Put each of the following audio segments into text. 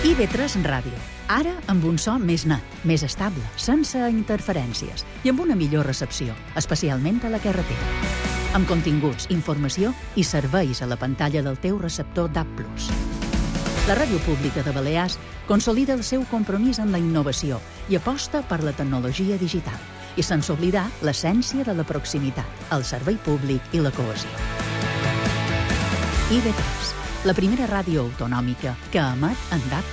IB3 Ràdio. Ara amb un so més net, més estable, sense interferències i amb una millor recepció, especialment a la carretera. Amb continguts, informació i serveis a la pantalla del teu receptor DAB+. La Ràdio Pública de Balears consolida el seu compromís amb la innovació i aposta per la tecnologia digital, i sense oblidar l'essència de la proximitat, el servei públic i la cohesió. IB3, la primera ràdio autonòmica que emet en DAB+.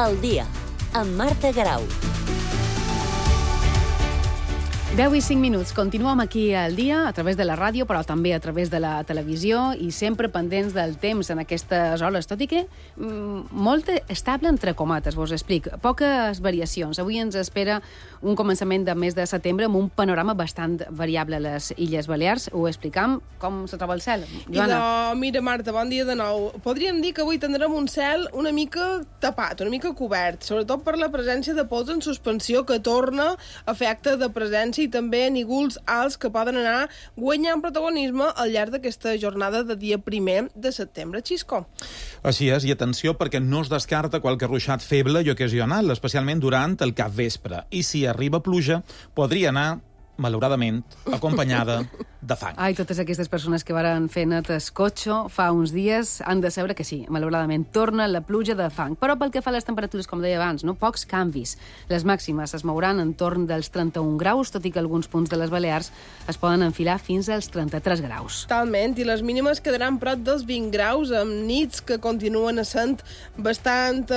El dia, amb Marta Garau. 10 i 5 minuts. Continuem aquí al dia, a través de la ràdio, però també a través de la televisió, i sempre pendents del temps en aquestes hores, tot i que molt estable entre comates, vos explic. Poques variacions. Avui ens espera un començament de mes de setembre amb un panorama bastant variable a les Illes Balears. Ho explicam com se troba el cel. Joana. Mira, Marta, bon dia de nou. Podríem dir que avui tindrem un cel una mica tapat, una mica cobert, sobretot per la presència de pols en suspensió que torna a fer acte de presència i també nígols alts que poden anar guanyant protagonisme al llarg d'aquesta jornada de dia 1 de setembre. Xisco. Així és, i atenció perquè no es descarta qualque ruixat feble i ocasional, especialment durant el capvespre. I si arriba pluja, podria anar, malauradament, acompanyada de fang. Ai, totes aquestes persones que varen fer net escotxo fa uns dies han de saber que sí, malauradament, torna la pluja de fang. Però pel que fa a les temperatures, com deia abans, pocs canvis. Les màximes es mouran entorn dels 31 graus, tot i que alguns punts de les Balears es poden enfilar fins als 33 graus. Totalment, i les mínimes quedaran prop dels 20 graus, amb nits que continuen essent bastant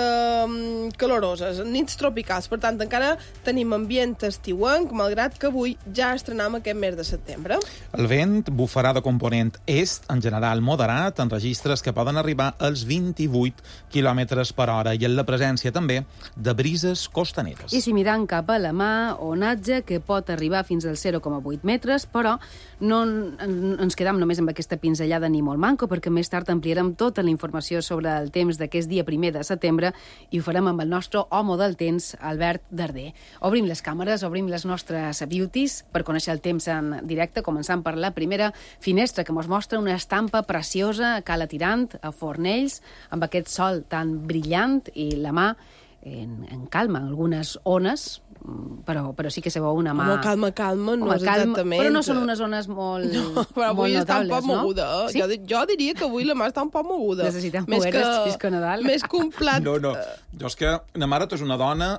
caloroses, nits tropicals. Per tant, encara tenim ambient estiuenc, malgrat que avui ja estrenam aquest mes de setembre. El vent bufarà de component est, en general moderat, en registres que poden arribar als 28 km per hora, i en la presència també de brises costaneres. I si mirant cap a la mà, onatge que pot arribar fins als 0,8 metres, però no ens quedam només amb aquesta pinzellada ni molt manco, perquè més tard ampliarem tota la informació sobre el temps d'aquest dia 1 de setembre i ho farem amb el nostre home del temps, Albert Darder. Obrim les càmeres, obrim les nostres beauties per conèixer el temps en directe, començant per la primera finestra, que ens mostra una estampa preciosa a Cala Tirant, a Fornells, amb aquest sol tan brillant i la mà en calma, algunes ones, però sí que se veu una mà... Calma, no és exactament... Però no són unes ones molt notables, no? Però avui està un poc moguda. Sí? Jo diria que avui la mà està un poc moguda. Necessitem mogueres, Xisco Nadal. Més que un plat... No. Jo és que la mare és una dona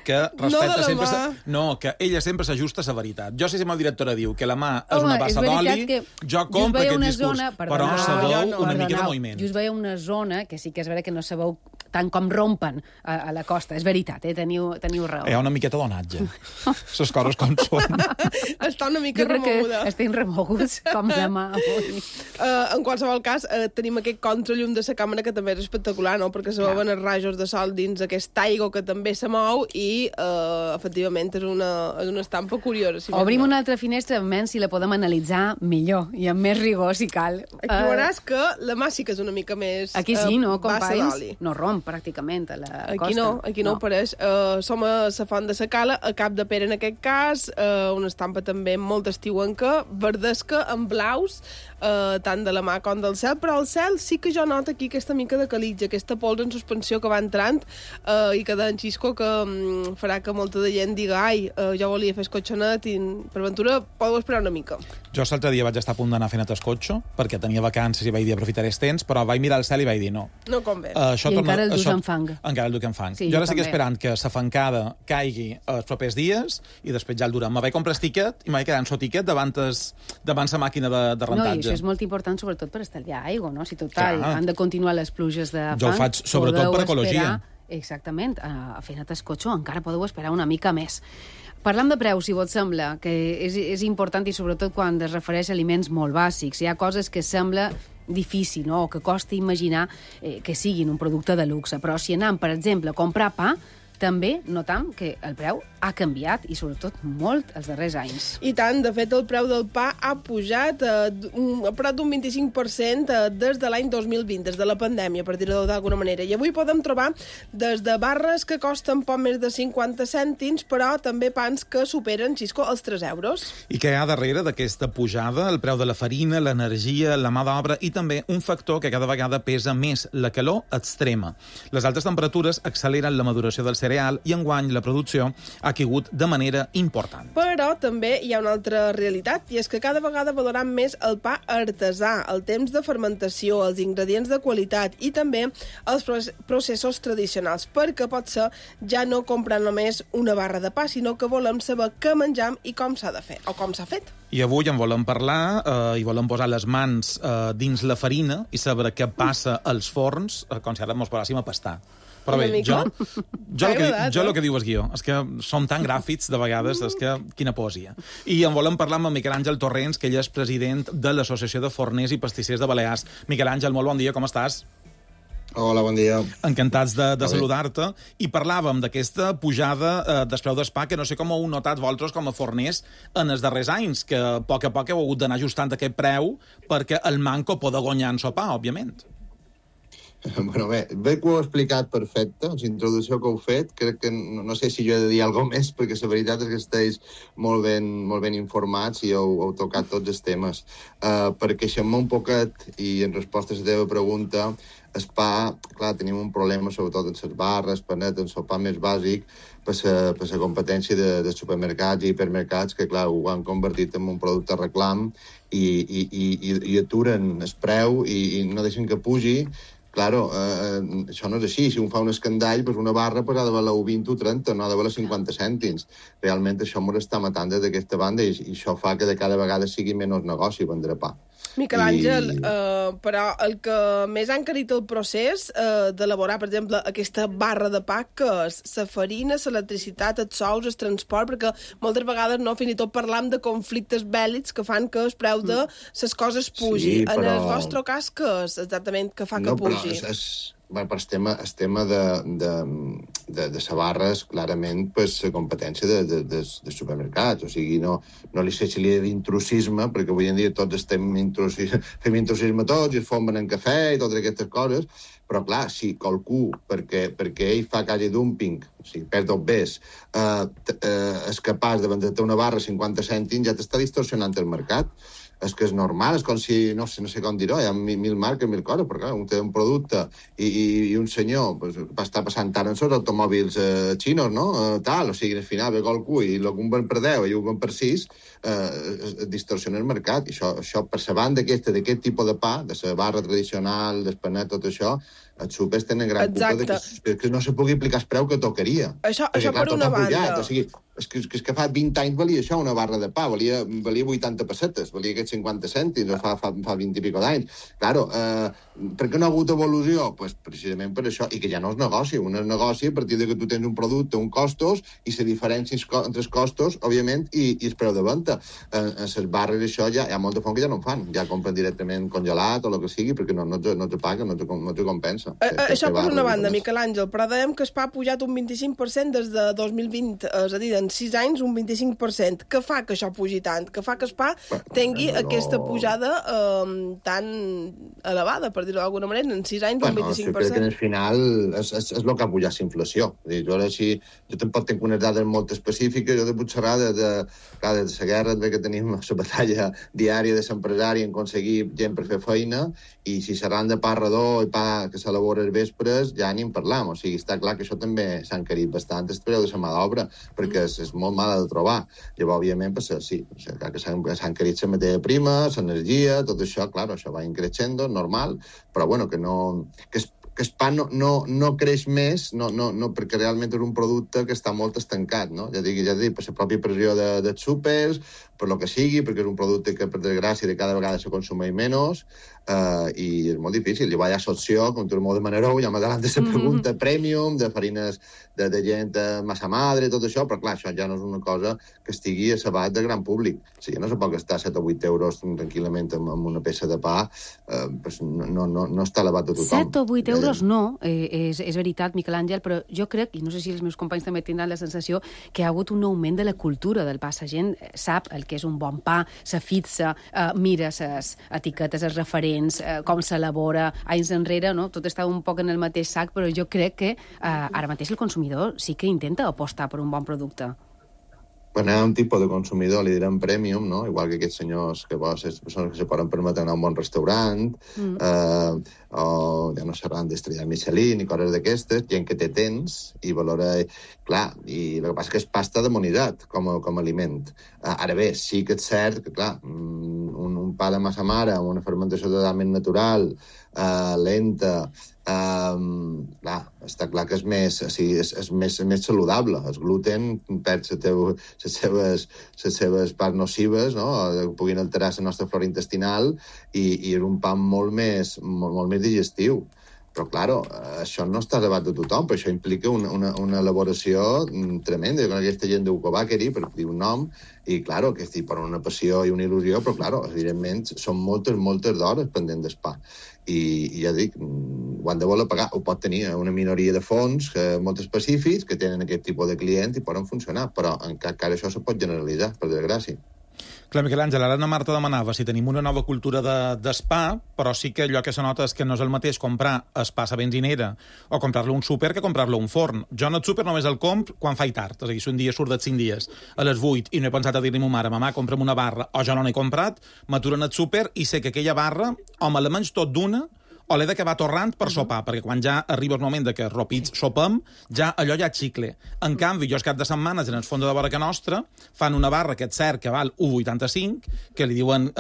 que respecta sempre... No, que ella sempre s'ajusta a la veritat. Jo sé si la directora diu que la mà és una bassa d'oli, jo compro aquest discurs. Però se veu una mica de moviment. Just veia una zona que sí que és vera que no se veu tant com rompen a la costa. És veritat, teniu raó. Hi ha una miqueta d'onatge. Les coses com són. Està una mica remoguda. Jo crec que estem remoguts com demà avui. En qualsevol cas, tenim aquest contrallum de la càmera que també és espectacular, no? Perquè se veuen els rajos de sol dins aquest aigua que també se mou i, efectivament, és una estampa curiosa. Si obrim una altra finestra, almenys si la podem analitzar millor i amb més rigor, si cal. Aquí veuràs que la mà sí que és una mica més... Aquí sí, no, companys? No romp pràcticament a la costa. Aquí no ho pareix. Som a la Font de la Cala, a Cap de Pere en aquest cas, una estampa també molt estiuenca, verdesca, amb blaus, tant de la mà com del cel, però el cel sí que jo noto aquí aquesta mica de calitja, aquesta pols en suspensió que va entrant i que d'en Xisco que farà que molta de gent diga jo volia fer escotxonet i per ventura podeu esperar una mica. Jo l'altre dia vaig estar a punt d'anar fent escotxo perquè tenia vacances i vaig dir aprofitaré els temps, però vaig mirar el cel i vaig dir no. No convé. I encara el dus en fang. Encara el duc en fang. Sí, jo ara estic esperant que la fancada caigui els propers dies i després ja el durem. Me vaig comprar el tiquet i m'he quedat amb el tiquet davant la màquina de rentatge. No, i això és molt important sobretot per estalviar aigua, no? Si total han de continuar les pluges de fang... Jo ho faig sobretot per ecologia. Exactament, a fer net escotxo encara podeu esperar una mica més. Parlam de preus, si vos sembla, que és important i sobretot quan es refereix a aliments molt bàsics. Hi ha coses que sembla difícil, no?, o que costa imaginar que siguin un producte de luxe. Però si anem, per exemple, a comprar pa, també notam que el preu ha canviat, i sobretot molt, els darrers anys. I tant, de fet, el preu del pa ha pujat a prop d'un 25% des de l'any 2020, des de la pandèmia, per dir-ho d'alguna manera. I avui podem trobar des de barres que costen poc més de 50 cèntims, però també pans que superen, Xisco, els 3 euros. I què hi ha darrere d'aquesta pujada? El preu de la farina, l'energia, la mà d'obra i també un factor que cada vegada pesa més, la calor extrema. Les altes temperatures acceleren la maduració del cereal i enguany la producció ha caigut de manera important. Però també hi ha una altra realitat, i és que cada vegada valoram més el pa artesà, el temps de fermentació, els ingredients de qualitat i també els processos tradicionals, perquè potser ja no comprar només una barra de pa, sinó que volem saber què menjam i com s'ha de fer, o com s'ha fet. I avui en volem parlar i volem posar les mans dins la farina i saber què passa als forns com si ara ens posàssim a pastar. Però bé, jo el que diu el guió és que som tan gràfics de vegades, és que quina poesia. I en volem parlar amb Miquel Àngel Torrents, que ell és president de l'Associació de Forners i Pastissers de Balears. Miquel Àngel, molt bon dia, com estàs? Hola, bon dia. Encantats de saludar-te. I parlàvem d'aquesta pujada del preu del pa, que no sé com ho heu notat vosaltres com a forners en els darrers anys, que a poc heu hagut d'anar ajustant aquest preu perquè el manco poda guanyar en sopar, òbviament. Bueno, bé que ho heu explicat perfecte, la introducció que heu fet. Crec que no sé si jo he de dir alguna cosa més, perquè la veritat és que esteu molt ben informats i heu tocat tots els temes. Per queixar-me un poquet, i en resposta a la teva pregunta, el pa, clar, tenim un problema sobretot en les barres, panet, en el pa més bàsic, per la competència de supermercats i hipermercats, que clar, ho han convertit en un producte reclam i aturen el preu i no deixen que pugi. Claro, això no és així. Si un fa un escandall, doncs una barra ha de valer 20 o 30, no ha de valer 50 cèntims. Realment això m'ho està matant des d'aquesta banda i això fa que de cada vegada sigui menys negoci vendre pa. Miquel Àngel, però el que més ha encarit el procés d'elaborar, per exemple, aquesta barra de pa, que és la farina, l'electricitat, els sous, el transport, perquè moltes vegades fins i tot parlam de conflictes bèl·lics que fan que el preu de les coses pugi. Sí, però... En el vostre cas, què és exactament que fa que pugi? El tema de la barra és clarament la competència de supermercats. O sigui, no li sé si li ha d'intrusisme, perquè avui en dia tots fem intrusisme tots i es fomen en cafè i totes aquestes coses, però clar, si qualcú, perquè ell fa calle dumping, o sigui, perd el bes, és capaç de vendre-te una barra a 50 cèntims, ja t'està distorsionant el mercat. És que és normal, és com si, no sé com dir-ho, hi ha mil marques, mil coses, però clar, un té un producte i un senyor va estar passant tant en els automòbils xinos, no? O sigui, al final ve qualcú i el que un ven per 10 i un ven per 6, distorsiona el mercat. I això per la banda d'aquest tipus de pa, de la barra tradicional, del panet, tot això, els súpers tenen gran culpa que no se pugui aplicar el preu que tocaria. Això per una banda. O sigui, és que fa 20 anys valia això, una barra de pa, valia 80 pessetes, valia aquests 50 cèntims, fa 20 i pico d'anys. Claro, per què no ha hagut evolució? Pues precisament per això, i que ja no és negoci. Un és negoci a partir de que tu tens un producte, uns costos, i la diferència entre els costos, òbviament, i el preu de venda. En les barres això ja hi ha molt de fons que ja no en fan, ja compren directament congelat o el que sigui, perquè no te paguen, no te compensa. Això per una banda, Miquel Àngel, però dèiem que el pa ha pujat un 25% des de 2020, és a dir, en 6 anys un 25%. Què fa que això pugi tant? Què fa que el pa tingui aquesta pujada tan elevada, per dir-ho d'alguna manera, en 6 anys un 25%? Crec que al final és el que ha pujat la inflació. Jo tampoc tinc unes dades molt específiques, jo de Puigcerrà, de la guerra que tenim, la batalla diària de l'empresari en aconseguir gent per fer feina, i si seran de pa redó i pa que s'elabora els vespres, ja ni en parlam. O sigui, està clar que això també s'ha encarit bastant el preu de la mà d'obra, perquè és molt mala de trobar. Llavors, òbviament, sí, que s'ha encarit la matèria prima, l'energia, tot això, clar, això va increixendo, normal, però bueno, que el pa no creix més, perquè realment és un producte que està molt estancat, no? Ja dic, per la pròpia pressió dels súpers, per lo que sigui, perquè és un producte que, per desgràcia, de cada vegada se consumeix menys, i és molt difícil. Llavors hi ha l'opció, com tu molt demanareu, ja m'adelant de la pregunta, premium, de farines de gent massa madre, tot això, però clar, això ja no és una cosa que estigui a l'abat del gran públic. O sigui, no se pot gastar 7 o 8 euros tranquil·lament amb una peça de pa, no està a l'abat de tothom. 7 o 8 euros euros no, és veritat, Miquel Àngel, però jo crec, i no sé si els meus companys també tindran la sensació, que hi ha hagut un augment de la cultura del pa. La gent sap el que és un bon pa, se fixa, mira les etiquetes, els referents, com s'elabora, anys enrere, no? Tot està un poc en el mateix sac, però jo crec que ara mateix el consumidor sí que intenta apostar per un bon producte. Quan hi ha un tipus de consumidor, li direm premium, no? Igual que aquests senyors que les persones que se poden permetre anar a un bon restaurant, o ja no seran d'estrella Michelin i coses d'aquestes, gent que té temps i valora... Clar, i el que passa que és pasta de monitat com a aliment. Ara bé, sí que és cert que, clar, un pa de massa mare amb una fermentació totalment natural, lenta, clar, està clar que és més saludable. El gluten perd les seves parts nocives, no? Puguin alterar la nostra flora intestinal i és un pa molt més digestiu. Però, clar, això no està a debat de tothom, però això implica una elaboració tremenda. Jo aquesta gent d'Ucobàqueri, per dir un nom, i, clar, que estic per una passió i una il·lusió, però, clar, evidentment, són moltes d'hores pendent del pa. I ja dic, ho han de voler pagar. Ho pot tenir una minoria de fons molt específics que tenen aquest tipus de clients i poden funcionar, però encara això se pot generalitzar, per desgràcia. Clar, Miquel Àngel, ara na Marta demanava si tenim una nova cultura d'espa, però sí que allò que se nota és que no és el mateix comprar espa a benzinera o comprar-lo a un súper que comprar-lo a un forn. Jo en el súper només el compro quan faig tard, és a dir, si un dia surt de 5 dies a les 8 i no he pensat a dir-li a ma mare, mamà, compra'm una barra, o jo no n'he comprat, m'aturo en el súper i sé que aquella barra o me la menys tot d'una o l'he d'acabar torrant per sopar, perquè quan ja arriba el moment que ropits sopem, ja allò ja xicle. En canvi, jo els cap de setmanes en el fons de vora que nostra fan una barra que és cert que val 1,85, que li diuen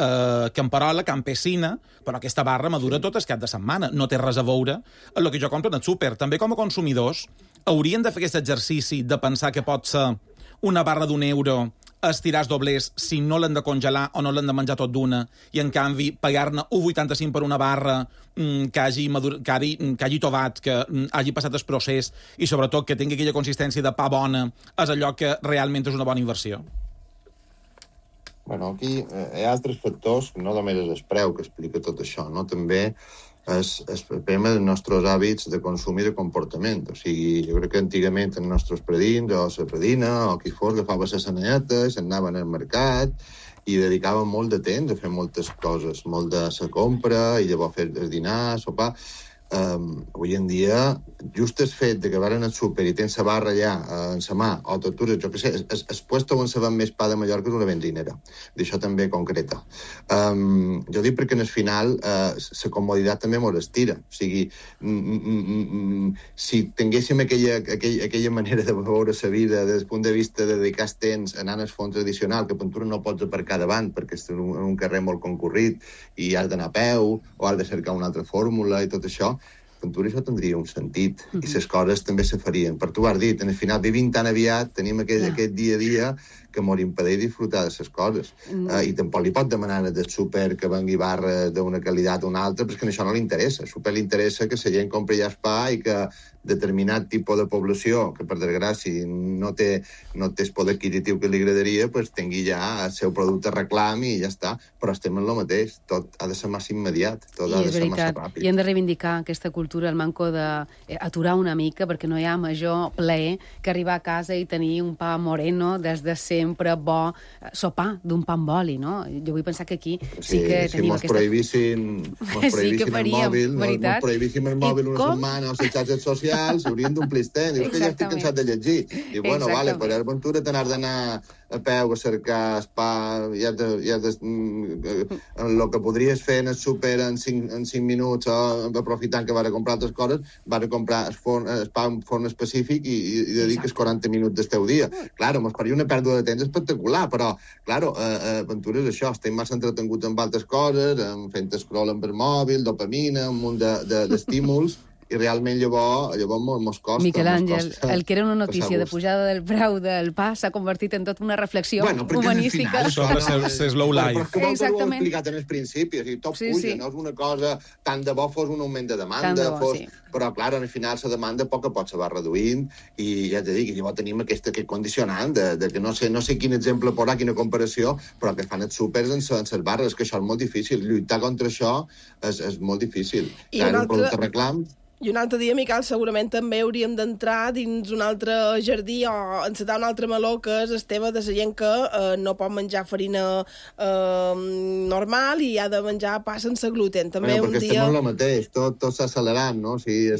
camperola, campesina, però aquesta barra madura tot el cap de setmana. No té res a veure amb el que jo compro en el súper. També com a consumidors haurien de fer aquest exercici de pensar que pot ser una barra d'€1 estirar els doblers si no l'han de congelar o no l'han de menjar tot d'una, i en canvi pagar-ne 1,85 per una barra que hagi tovat, que hagi passat el procés i sobretot que tingui aquella consistència de pa bona, és allò que realment és una bona inversió. Bueno, aquí hi ha altres factors, no només és el preu que explica tot això, no? També és el tema dels nostres hàbits de consum i de comportament. O sigui, jo crec que antigament els nostres predins o la predina o qui fos agafava les sanetes, anaven al mercat i dedicaven molt de temps a fer moltes coses, molt de la compra i llavors fer el dinar, sopar. Avui en dia, just el fet de que van al súper i tens la barra allà en la mà, o t'atures, jo què sé, el puesto on se ven més pa de Mallorca és una benzinera. D'això també concreta. Jo dic perquè en el final la comoditat també mos estira. O sigui, si tinguéssim aquella manera de veure la vida des del punt de vista de dedicar el temps anant al fons tradicional, que Ventura no pots aparcar davant perquè és un carrer molt concurrit i has d'anar a peu o has de cercar una altra fórmula i tot això, Ventura això tindria un sentit i les coses també se farien. Per tu ho has dit, en el final vivim tan aviat, tenim aquest dia a dia que mos impedeix disfrutar de les coses. I tampoc li pot demanar del súper que vengui barra d'una qualitat o una altra, perquè això no li interessa. Al súper li interessa que la gent compri ja el pa i que determinat tipus de població, que per desgràcia no té el poder adquisitiu que li agradaria, pues tingui ja el seu producte reclam i ja està. Però estem en el mateix. Tot ha de ser massa immediat, tot ha de ser massa ràpid. I hem de reivindicar aquesta cultura, el manco d'aturar una mica, perquè no hi ha major plaer que arribar a casa i tenir un pa moreno des de sempre bo, sopar d'un pa amb oli, no? Jo vull pensar que aquí sí que tenim aquesta... Si mos prohibissin el mòbil, mos prohibissin el mòbil una setmana o les xarxes socials, haurien d'omplir el temps. Dius que ja estic cansat de llegir. I bueno, vale, per Aventura t'has d'anar a peu a cercar el pa, el que podries fer en el súper en 5 minuts o aprofitant que vas a comprar altres coses, vas a comprar el pa en forn específic i dediques 40 minuts del teu dia. Claro, mos faria una pèrdua de temps espectacular, però, claro, Ventura és això, estem massa entretenguts amb altres coses, fent scroll amb el mòbil, dopamina, un munt d'estímuls, i realment llavors mos costa. Miquel Àngel, el que era una notícia de pujada del preu del pa s'ha convertit en tota una reflexió humanística. Sobre el slow life. Però que ho he explicat en el principi, o sigui, tot puja, no és una cosa, tant de bo fos un augment de demanda, però, clar, al final la demanda a poc a poc se va reduint i ja t'he dit que llavors tenim aquest condicionant de que no sé quin exemple posar, quina comparació, però que fan els súpers en les barres, que això és molt difícil. Lluitar contra això és molt difícil. Clar, un producte reclam... I un altre dia, Miquel, segurament també hauríem d'entrar dins un altre jardí o encetar un altre meló, que és el tema de la gent que no pot menjar farina normal i ha de menjar pa sense gluten. També perquè estem en el mateix, tot s'ha accelerat, no? O sigui,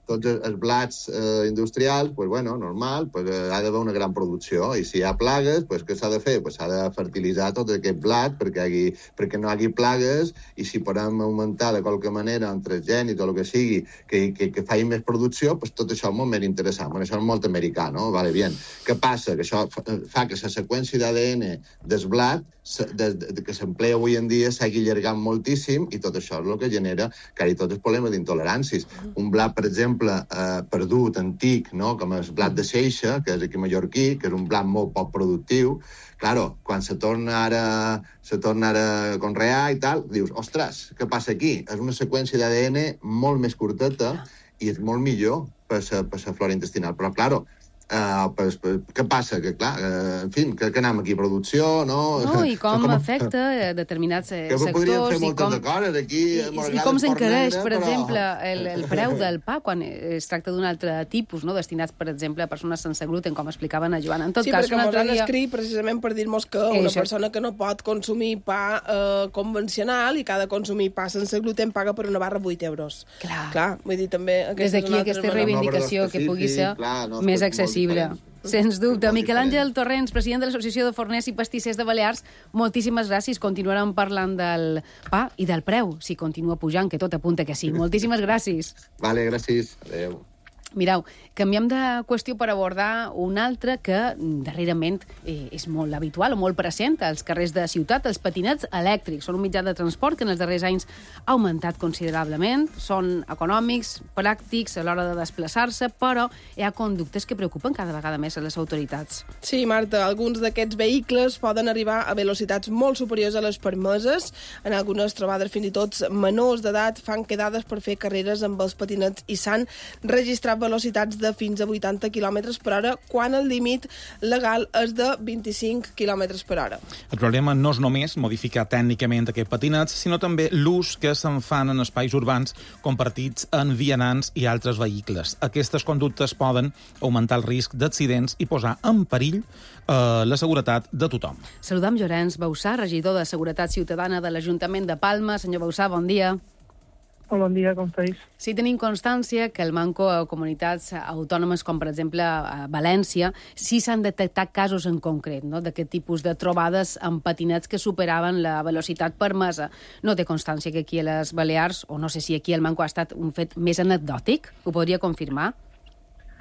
tots els blats industrials, pues bueno, normal, pues ha d'haver una gran producció, i si hi ha plagues, pues què s'ha de fer? Pues s'ha de fertilitzar tot aquest blat perquè no hi hagi plagues, i si podem augmentar de qualque manera un transgènic o el que sigui, que faci més producció, pues tot això és molt més interessant. Bueno, això és molt americà, no? Vale, bien. Què passa? Que això fa que la seqüència d'ADN del blat que s'emplea avui en dia s'hagi allargat moltíssim, i tot això és el que genera quasi tots els problemes d'intoleràncies. Un blat, per exemple, perdut, antic, no? Com el blat de Seixa, que és aquí mallorquí, que és un blat molt poc productiu, claro, quan se torna ara a conrear i tal, dius, ostres, què passa aquí? És una seqüència d'ADN molt més curteta i és molt millor per la flora intestinal. Però, claro, què passa? Que, clar, en fi, que anem aquí a producció, no? No, i com afecta determinats sectors. Que podríem fer moltes coses aquí. I com s'encareix, per exemple, el preu del pa quan es tracta d'un altre tipus, no? Destinats, per exemple, a persones sense gluten, com explicaven a Joana. En tot cas, perquè ens han escrit precisament per dir-nos que una persona que no pot consumir pa convencional i que ha de consumir pa sense gluten paga per una barra 8 euros. Clar, vull dir, també... Des d'aquí aquesta reivindicació que pugui ser més accessible. Sens dubte. Miquel Àngel Torrents, president de l'Associació de Forners i Pastissers de Balears, moltíssimes gràcies. Continuarem parlant del pa i del preu, si continua pujant, que tot apunta que sí. Moltíssimes gràcies. Vale, gràcies. Adéu. Mireu, canviem de qüestió per abordar una altra que darrerament és molt habitual o molt present als carrers de ciutat, els patinets elèctrics. Són un mitjà de transport que en els darrers anys ha augmentat considerablement, són econòmics, pràctics a l'hora de desplaçar-se, però hi ha conductes que preocupen cada vegada més a les autoritats. Sí, Marta, alguns d'aquests vehicles poden arribar a velocitats molt superiors a les permeses. En algunes trobades, fins i tot menors d'edat fan quedades per fer carreres amb els patinets i s'han registrat velocitats de fins a 80 km per hora, quan el límit legal és de 25 km per hora. El problema no és només modificar tècnicament aquests patinets, sinó també l'ús que se'n fan en espais urbans compartits en vianants i altres vehicles. Aquestes conductes poden augmentar el risc d'accidents i posar en perill la seguretat de tothom. Saludam Llorenç Bausà, regidor de Seguretat Ciutadana de l'Ajuntament de Palma. Senyor Bausà, bon dia. Hola, bon dia, com estàs? Sí, tenim constància que el manco a comunitats autònomes, com per exemple a València, sí s'han detectat casos en concret, no?, d'aquest tipus de trobades amb patinets que superaven la velocitat permesa. No té constància que aquí a les Balears, o no sé si aquí el manco ha estat un fet més anecdòtic? Ho podria confirmar?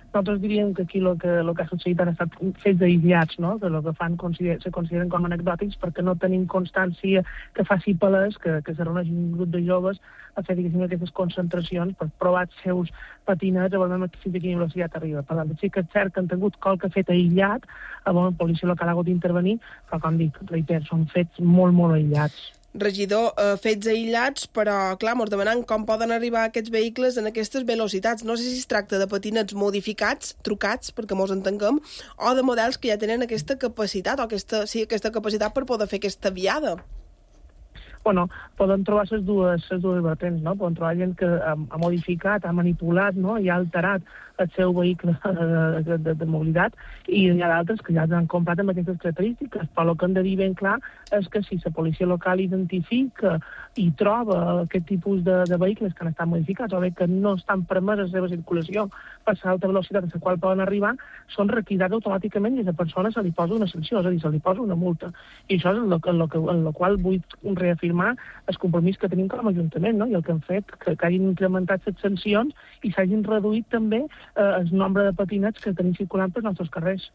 Nosaltres diríem que aquí el que ha succeït han estat fets aïllats, no?, que el que fan se consideren com anecdòtics perquè no tenim constància que faci palès que se reuneixin un grup de joves a fer, diguéssim, aquestes concentracions per provar els seus patinets a veure fins a quina velocitat arriba. Per tant, sí que és cert que han tingut qualque fet aïllat, la policia local ha hagut d'intervenir, però, com dic, reiter, són fets molt, molt aïllats. Regidor, fets aïllats, però, clar, ens demanen com poden arribar aquests vehicles en aquestes velocitats. No sé si es tracta de patinets modificats, trucats, perquè mos entenguem, o de models que ja tenen aquesta capacitat, o aquesta capacitat per poder fer aquesta viada. Bueno, poden trobar les dues vertents, no? Poden trobar gent que ha modificat, ha manipulat, no?, i ha alterat el seu vehicle de mobilitat, i hi ha d'altres que ja han comprat amb aquestes característiques. Però el que hem de dir ben clar és que si la policia local identifica i troba aquest tipus de vehicles que han estat modificats o bé que no estan permeses la seva circulació per l'alta velocitat a la qual poden arribar, són requisats automàticament i a la persona se li posa una sanció, és a dir, se li posa una multa. I això és en el qual vull reafirmar el compromís que tenim com a Ajuntament, no?, i el que hem fet, que hagin incrementat les sancions i s'hagin reduït també el nombre de patinets que tenim circulant pels nostres carrers.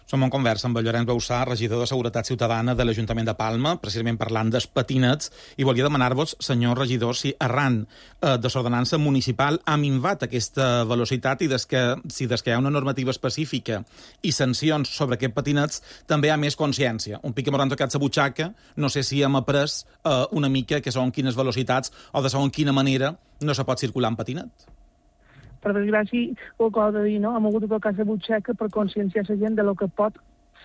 Som en conversa amb el Llorenç Bausà, regidor de Seguretat Ciutadana de l'Ajuntament de Palma, precisament parlant dels patinets, i volia demanar-vos, senyor regidor, si arran de l'ordenança municipal ha minvat aquesta velocitat i si des que hi ha una normativa específica i sancions sobre aquests patinets també hi ha més consciència. Un pic que m'han tocat la butxaca, no sé si hem après una mica que són quines velocitats o de segons quina manera no se pot circular en patinet. Per desgràcia, ho acabo de dir, no? Hem hagut de tocar la butxaca per conscienciar la gent de lo que pot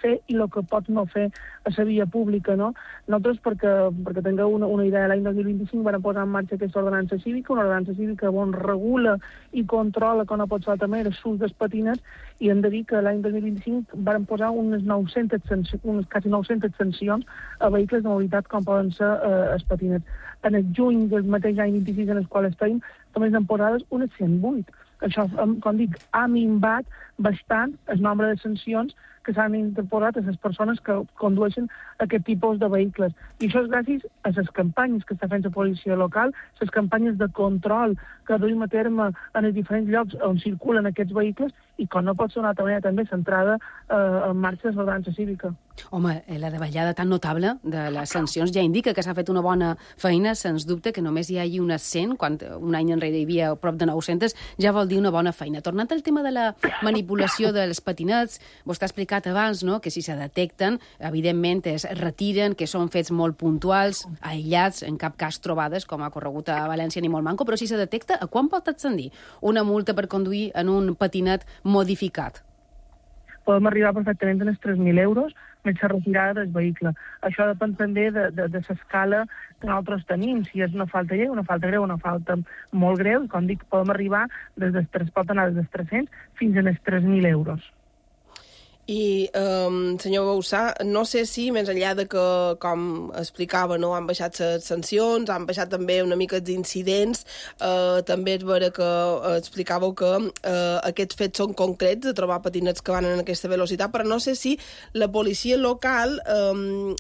fer i el que pots no fer a la via pública, no? Nosaltres, perquè tingueu una idea, l'any 2025 vam posar en marxa aquesta ordenança cívica, una ordenança cívica on regula i controla que no pot ser també l'ús dels patinets, i hem de dir que l'any 2025 vam posar unes quasi 900 sancions a vehicles de mobilitat com poden ser els patinets. En el juny del mateix any 26 en el qual estem, només han posades unes 108. Això, com dic, ha minvat bastant el nombre de sancions que s'han interposat a les persones que condueixen aquest tipus de vehicles. I això és gràcies a les campanyes que està fent la policia local, les campanyes de control que duim a terme en els diferents llocs on circulen aquests vehicles i, com no pot ser una altra manera, també centrada en marxa de l'ordenança cívica. Home, la davallada tan notable de les sancions ja indica que s'ha fet una bona feina, sens dubte, que només hi hagi unes 100, quan un any enrere hi havia prop de 900, ja vol dir una bona feina. Tornant al tema de la manipulació dels patinets, vostè ha explicat abans, no?, que si se detecten, evidentment es retiren, que són fets molt puntuals, aïllats, en cap cas trobades, com ha corregut a València ni molt manco, però si se detecta, a quan pot ascendir una multa per conduir en un patinet modificat? Podem arribar perfectament a els 3.000 euros més la retirada del vehicle. Això depèn també de l'escala que nosaltres tenim, si és una falta lleu, una falta greu, una falta molt greu, com dic, podem arribar pot anar des dels 300 fins als 3.000 euros. I, senyor Bausà, no sé si, més enllà de que, com explicava, no, han baixat les sancions, han baixat també una mica els incidents, també és vera que explicàveu que aquests fets són concrets, de trobar patinets que van en aquesta velocitat, però no sé si la policia local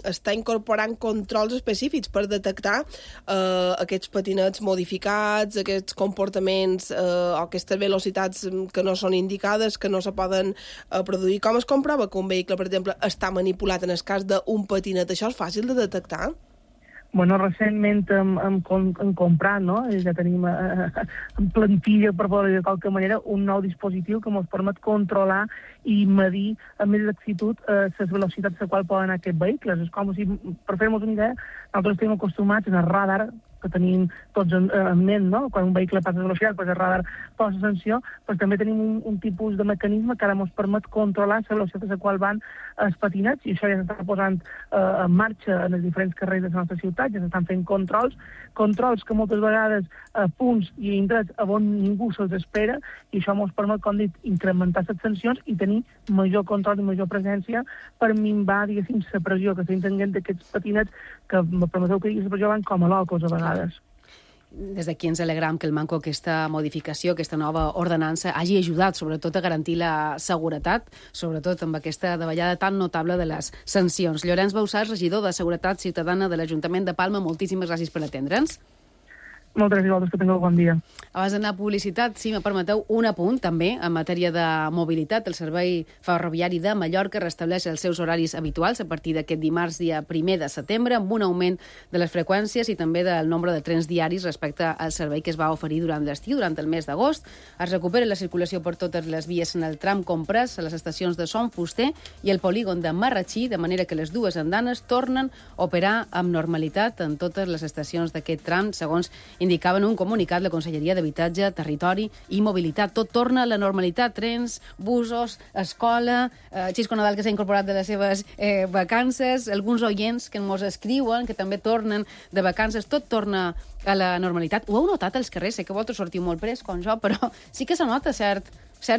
està incorporant controls específics per detectar aquests patinets modificats, aquests comportaments o aquestes velocitats que no són indicades, que no se poden produir. Com es comprova que un vehicle, per exemple, està manipulat en el cas d'un patinet? Això és fàcil de detectar? Bueno, recentment hem comprat, no? Ja tenim en plantilla, per poder dir de qualque manera, un nou dispositiu que ens permet controlar i medir amb més exactitud les velocitats a qual poden anar aquests vehicles. És com si, per fer-nos una idea, nosaltres estem acostumats en el radar que tenim tots en ment, no? Quan un vehicle passa de velocitat, pues el radar posa sanció, però també tenim un tipus de mecanisme que ara ens permet controlar la velocitat a la qual van els patinets, i això ja s'està posant en marxa en els diferents carrers de la nostra ciutat, ja s'estan fent controls que moltes vegades a punts i indrets on ningú se'ls espera, i això ens permet, com dit, incrementar les sancions i tenir major control i major presència per minvar, diguéssim, la pressió que estem tenint d'aquests patinets que, me permeteu que digui, la pressió van com a locos a vegades. Des d'aquí ens alegram que el manco aquesta modificació, aquesta nova ordenança, hagi ajudat sobretot a garantir la seguretat, sobretot amb aquesta davallada tan notable de les sancions. Llorenç Bausà, regidor de Seguretat Ciutadana de l'Ajuntament de Palma, moltíssimes gràcies per atendre'ns. Moltes gràcies, que tingueu bon dia. Abans d'anar a publicitat, si me permeteu, un apunt també en matèria de mobilitat. El Servei Ferroviari de Mallorca restableix els seus horaris habituals a partir d'aquest dimarts, dia 1 de setembre, amb un augment de les freqüències i també del nombre de trens diaris respecte al servei que es va oferir durant l'estiu, durant el mes d'agost. Es recupera la circulació per totes les vies en el tram Comprès, a les estacions de Son Fuster i el polígon de Marratxí, de manera que les dues andanes tornen a operar amb normalitat en totes les estacions d'aquest tram, segons indicava en un comunicat la Conselleria d'Habitatge, Territori i Mobilitat. Tot torna a la normalitat, trens, busos, escola, Xisco Nadal que s'ha incorporat de les seves vacances, alguns oients que ens escriuen, que també tornen de vacances, tot torna a la normalitat. Ho heu notat als carrers? Sé que vosaltres sortiu molt pres, com jo, però sí que se nota cert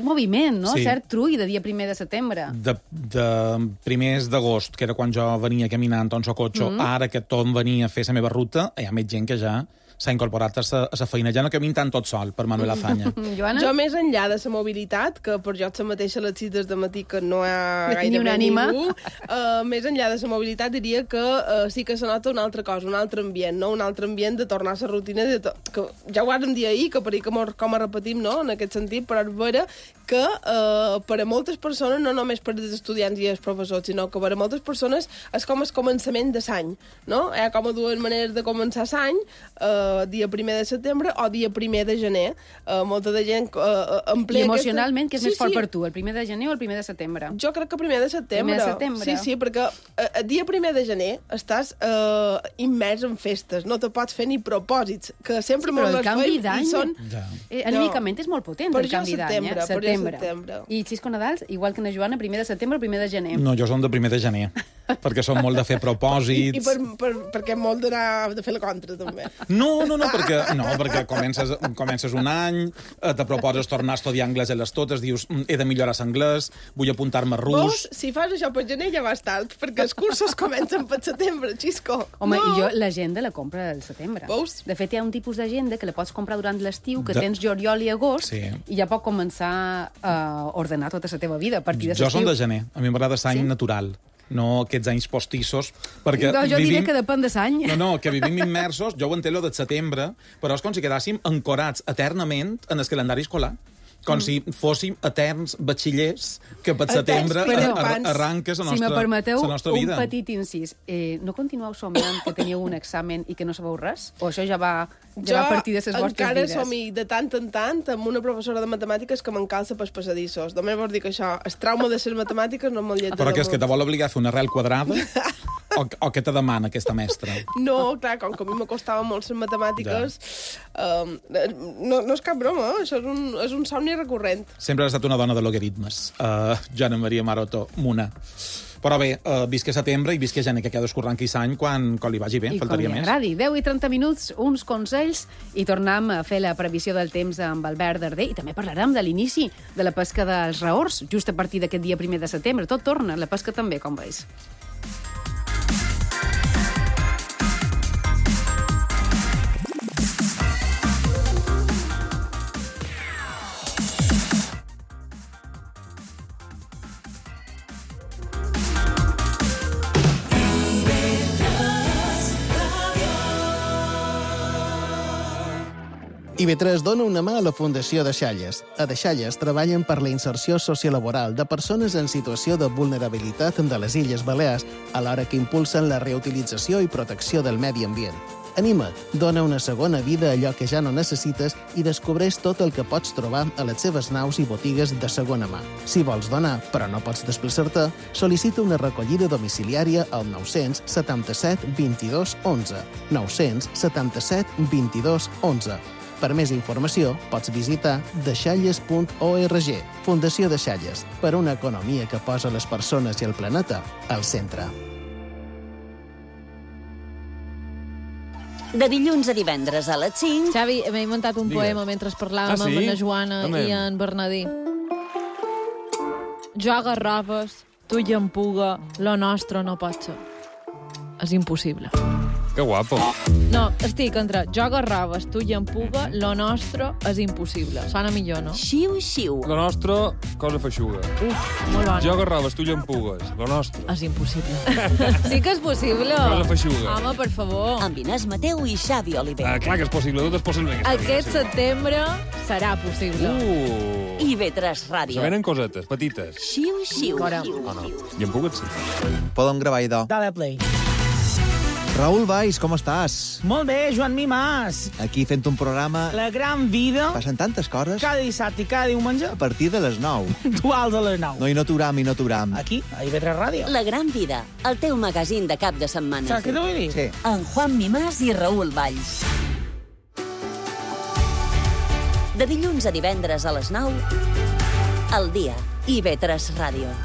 moviment, no? Sí. Cert trull de dia 1 de setembre. De primers d'agost, que era quan jo venia caminant en el cotxe, ara que tot venia a fer la meva ruta, hi ha més gent que ja s'ha incorporat a la feina. Ja no camino tant tot sol, per Manuel Azaña. Jo, més enllà de la mobilitat, que per jo la mateixa a les 6 del matí que no hi ha gairebé ningú, més enllà de la mobilitat diria que sí que se nota una altra cosa, un altre ambient, no? Un altre ambient de tornar a la rutina, que ja ho vàrem dir ahir, que per ahir com a repetim, no? En aquest sentit, però és vera que per a moltes persones, no només per als estudiants i els professors, sinó que per a moltes persones és com el començament de l'any, no? Hi ha com a dues maneres de començar l'any, dia 1 de setembre o dia 1 de gener. Molta de gent emplega... I emocionalment, què és més fort per tu, el 1 de gener o el 1 de setembre? Jo crec que 1 de setembre. 1 de setembre? Sí, perquè el dia 1 de gener estàs immers en festes, no te pots fer ni propòsits, que sempre però el canvi d'any... Són... Anímicament és molt potent, el canvi d'any. Setembre. I Xisco Nadals, igual que na Joana, 1 de setembre o 1 de gener? No, jo som de 1 de gener, perquè som molt de fer propòsits... I perquè molt de fer la contra, també. No, perquè comences un any, te proposes tornar a estudiar anglès a les totes, dius, he de millorar l'anglès, vull apuntar-me a rus... Veus? Si fas això per gener ja vas tard, perquè els cursos comencen per setembre, Xisco. Home, i jo l'agenda la compro al setembre. Veus? De fet, hi ha un tipus d'agenda que la pots comprar durant l'estiu, que tens juliol i agost, i ja pot començar a ordenar tota la teva vida a partir de l'estiu. Jo som de gener, a mi m'agrada l'any natural. No aquests anys postissos, perquè jo diré que depèn de l'any. No, que vivim immersos, jo ho entenc lo de setembre, però és com si quedàssim ancorats eternament en el calendari escolar. Com si fóssim eterns batxillers que per setembre arranques la nostra vida. Si me permeteu, un petit incís. No continueu somiant que teníeu un examen i que no sabeu res? O això ja va a partir de les vostres vides? Jo encara somi de tant en tant amb una professora de matemàtiques que m'encalça pels passadissos. Només vols dir que això, el trauma de les matemàtiques no me'l lletra. Però que és que te vol obligar a fer una arrel quadrada? O què te demana aquesta mestra? No, clar, com que a mi m'acostava molt les matemàtiques, no és cap broma, això és un somni recurrent. Sempre has estat una dona de logaritmes, Joana Maria Maroto Muna. Però bé, visca setembre i visca gener, que cadascú arranqui l'any quan li vagi bé, faltaria més. I com li agradi. 10 i 30 minuts, uns consells, i tornem a fer la previsió del temps amb Albert Darder, i també parlarem de l'inici de la pesca dels raors, just a partir d'aquest dia 1 de setembre. Tot torna, la pesca també, com veus. IB3 dona una mà a la Fundació Deixalles. A Deixalles treballen per la inserció sociolaboral de persones en situació de vulnerabilitat de les Illes Balears, alhora que impulsen la reutilització i protecció del medi ambient. Anima't, dona una segona vida a allò que ja no necessites i descobreix tot el que pots trobar a les seves naus i botigues de segona mà. Si vols donar, però no pots desplaçar-te, sol·licita una recollida domiciliària al 977 22 11. 977 22 11. Per més informació, pots visitar deixalles.org. Fundació Deixalles, per una economia que posa les persones i el planeta al centre. De dilluns a divendres a les 5... Xavi, m'he inventat un poema mentre parlàvem amb la Joana i en Bernadí. Jo Garrofes, tu i en Puga, lo nostre no pot ser. És impossible. Que guapo. No, estic entre jo Garrofes, tu i en Puga, lo nostre és impossible. Sona millor, no? Xiu, xiu. Lo nostre, cosa feixuga. Uf, molt bona. Jo Garrofes, tu i en Pugues, lo nostre. És impossible. Sí que és possible. Cosa feixuga. Home, per favor. Amb Inés Mateu i Xavi Oliver. Clar que és possible, tot és possible. Aquest setembre serà possible. IB3 Ràdio. Se venen cosetes, petites. Xiu, xiu. Fora. No. I en Pugues sí. Podem gravar idò. Dale play. Raül Valls, com estàs? Molt bé, Joan Mimàs. Aquí fent un programa... La gran vida. Passen tantes coses. Cada dissabte i cada diumenge. A partir de les 9. Duals a les 9. No, i no t'uram. Aquí, a IB3 Ràdio. La gran vida, el teu magazín de cap de setmana. Saps què t'ho vull dir? Sí. En Juan Mimàs i Raül Valls. De dilluns a divendres a les 9, al dia, IB3 Ràdio.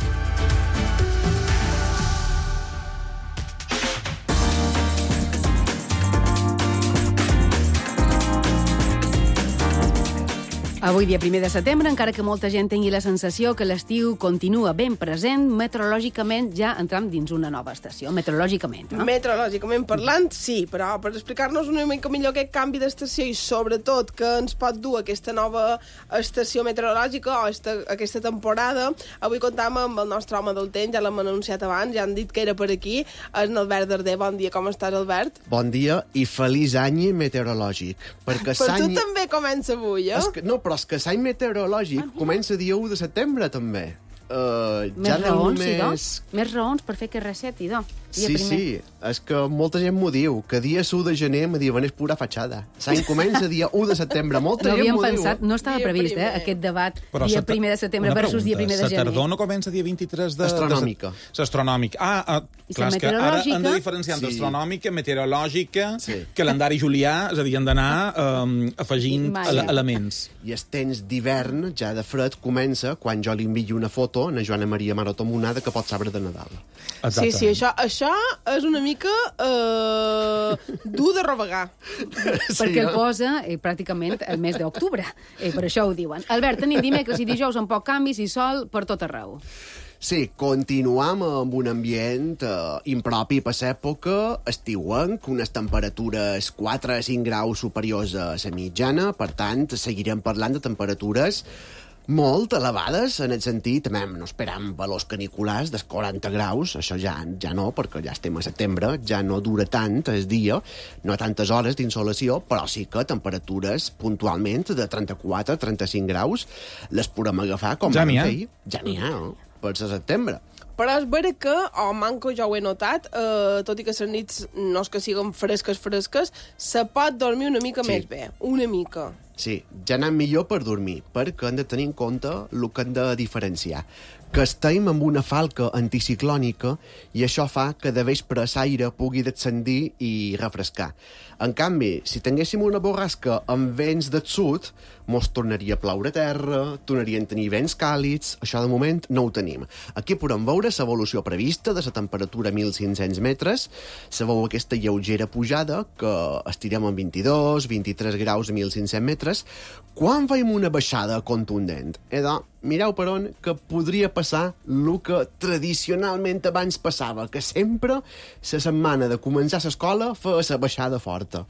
Avui, dia 1 de setembre, encara que molta gent tingui la sensació que l'estiu continua ben present, meteorològicament ja entrem dins una nova estació. Meteorològicament, no? Meteorològicament parlant, sí, però per explicar-nos una mica millor aquest canvi d'estació i sobretot que ens pot dur aquesta nova estació meteorològica o aquesta temporada, avui comptam amb el nostre home del temps, ja l'hem anunciat abans, ja han dit que era per aquí, és en Albert Darder. Bon dia, com estàs, Albert? Bon dia i feliç any meteorològic. Perquè per tu també comença avui, eh? No, però és que l'any meteorològic comença dia 1 de setembre, també. Més raons, només... Més raons per fer que reset, idò. Sí, és que molta gent m'ho diu, que dia 1 de gener me diuen és pura fatxada. L'any comença dia 1 de setembre, molta gent m'ho diu. No estava previst, aquest debat dia 1 de setembre versus dia 1 de gener. La tardor no comença dia 23 de... Astronòmica. L'astronòmica. Clar, és que ara hem de diferenciar entre astronòmica, meteorològica, calendari julià, és a dir, hem d'anar afegint elements. I el temps d'hivern, ja de fred, comença quan jo li envio una foto a Joana Maria Maroto Monada que pot saber de Nadal. Sí, això és una mica dur de rovegar. Perquè el posa pràcticament el mes d'octubre. Per això ho diuen. Albert, tenim dimecres i dijous amb poc canvis i sol per tot arreu. Sí, continuam amb un ambient impropi per l'època, estiuenc, unes temperatures 4 a 5 graus superiors a la mitjana, per tant, seguirem parlant de temperatures molt elevades, en el sentit, no esperam valors caniculars dels 40 graus, això ja no, perquè ja estem a setembre, ja no dura tant el dia, no tantes hores d'insolació, però sí que temperatures puntualment de 34-35 graus les podem agafar com ja n'hi ha. Ja n'hi ha, per setembre. Però és vera que, manco jo ho he notat, tot i que les nits no és que siguin fresques, se pot dormir una mica més bé, una mica. Sí, ja anem millor per dormir, perquè hem de tenir en compte el que hem de diferenciar. Que estem amb una falca anticiclònica i això fa que de vespre l'aire pugui descendir i refrescar. En canvi, si tinguéssim una borrasca amb vents del sud, mos tornaria a ploure a terra, tornarien a tenir vents càlids, això de moment no ho tenim. Aquí podem veure l'evolució prevista de la temperatura a 1.500 metres, se veu aquesta lleugera pujada que estirem en 22-23 graus a 1.500 metres, quan veiem una baixada contundent. Mireu per on que podria passar el que tradicionalment abans passava, que sempre la setmana de començar l'escola feia la baixada forta.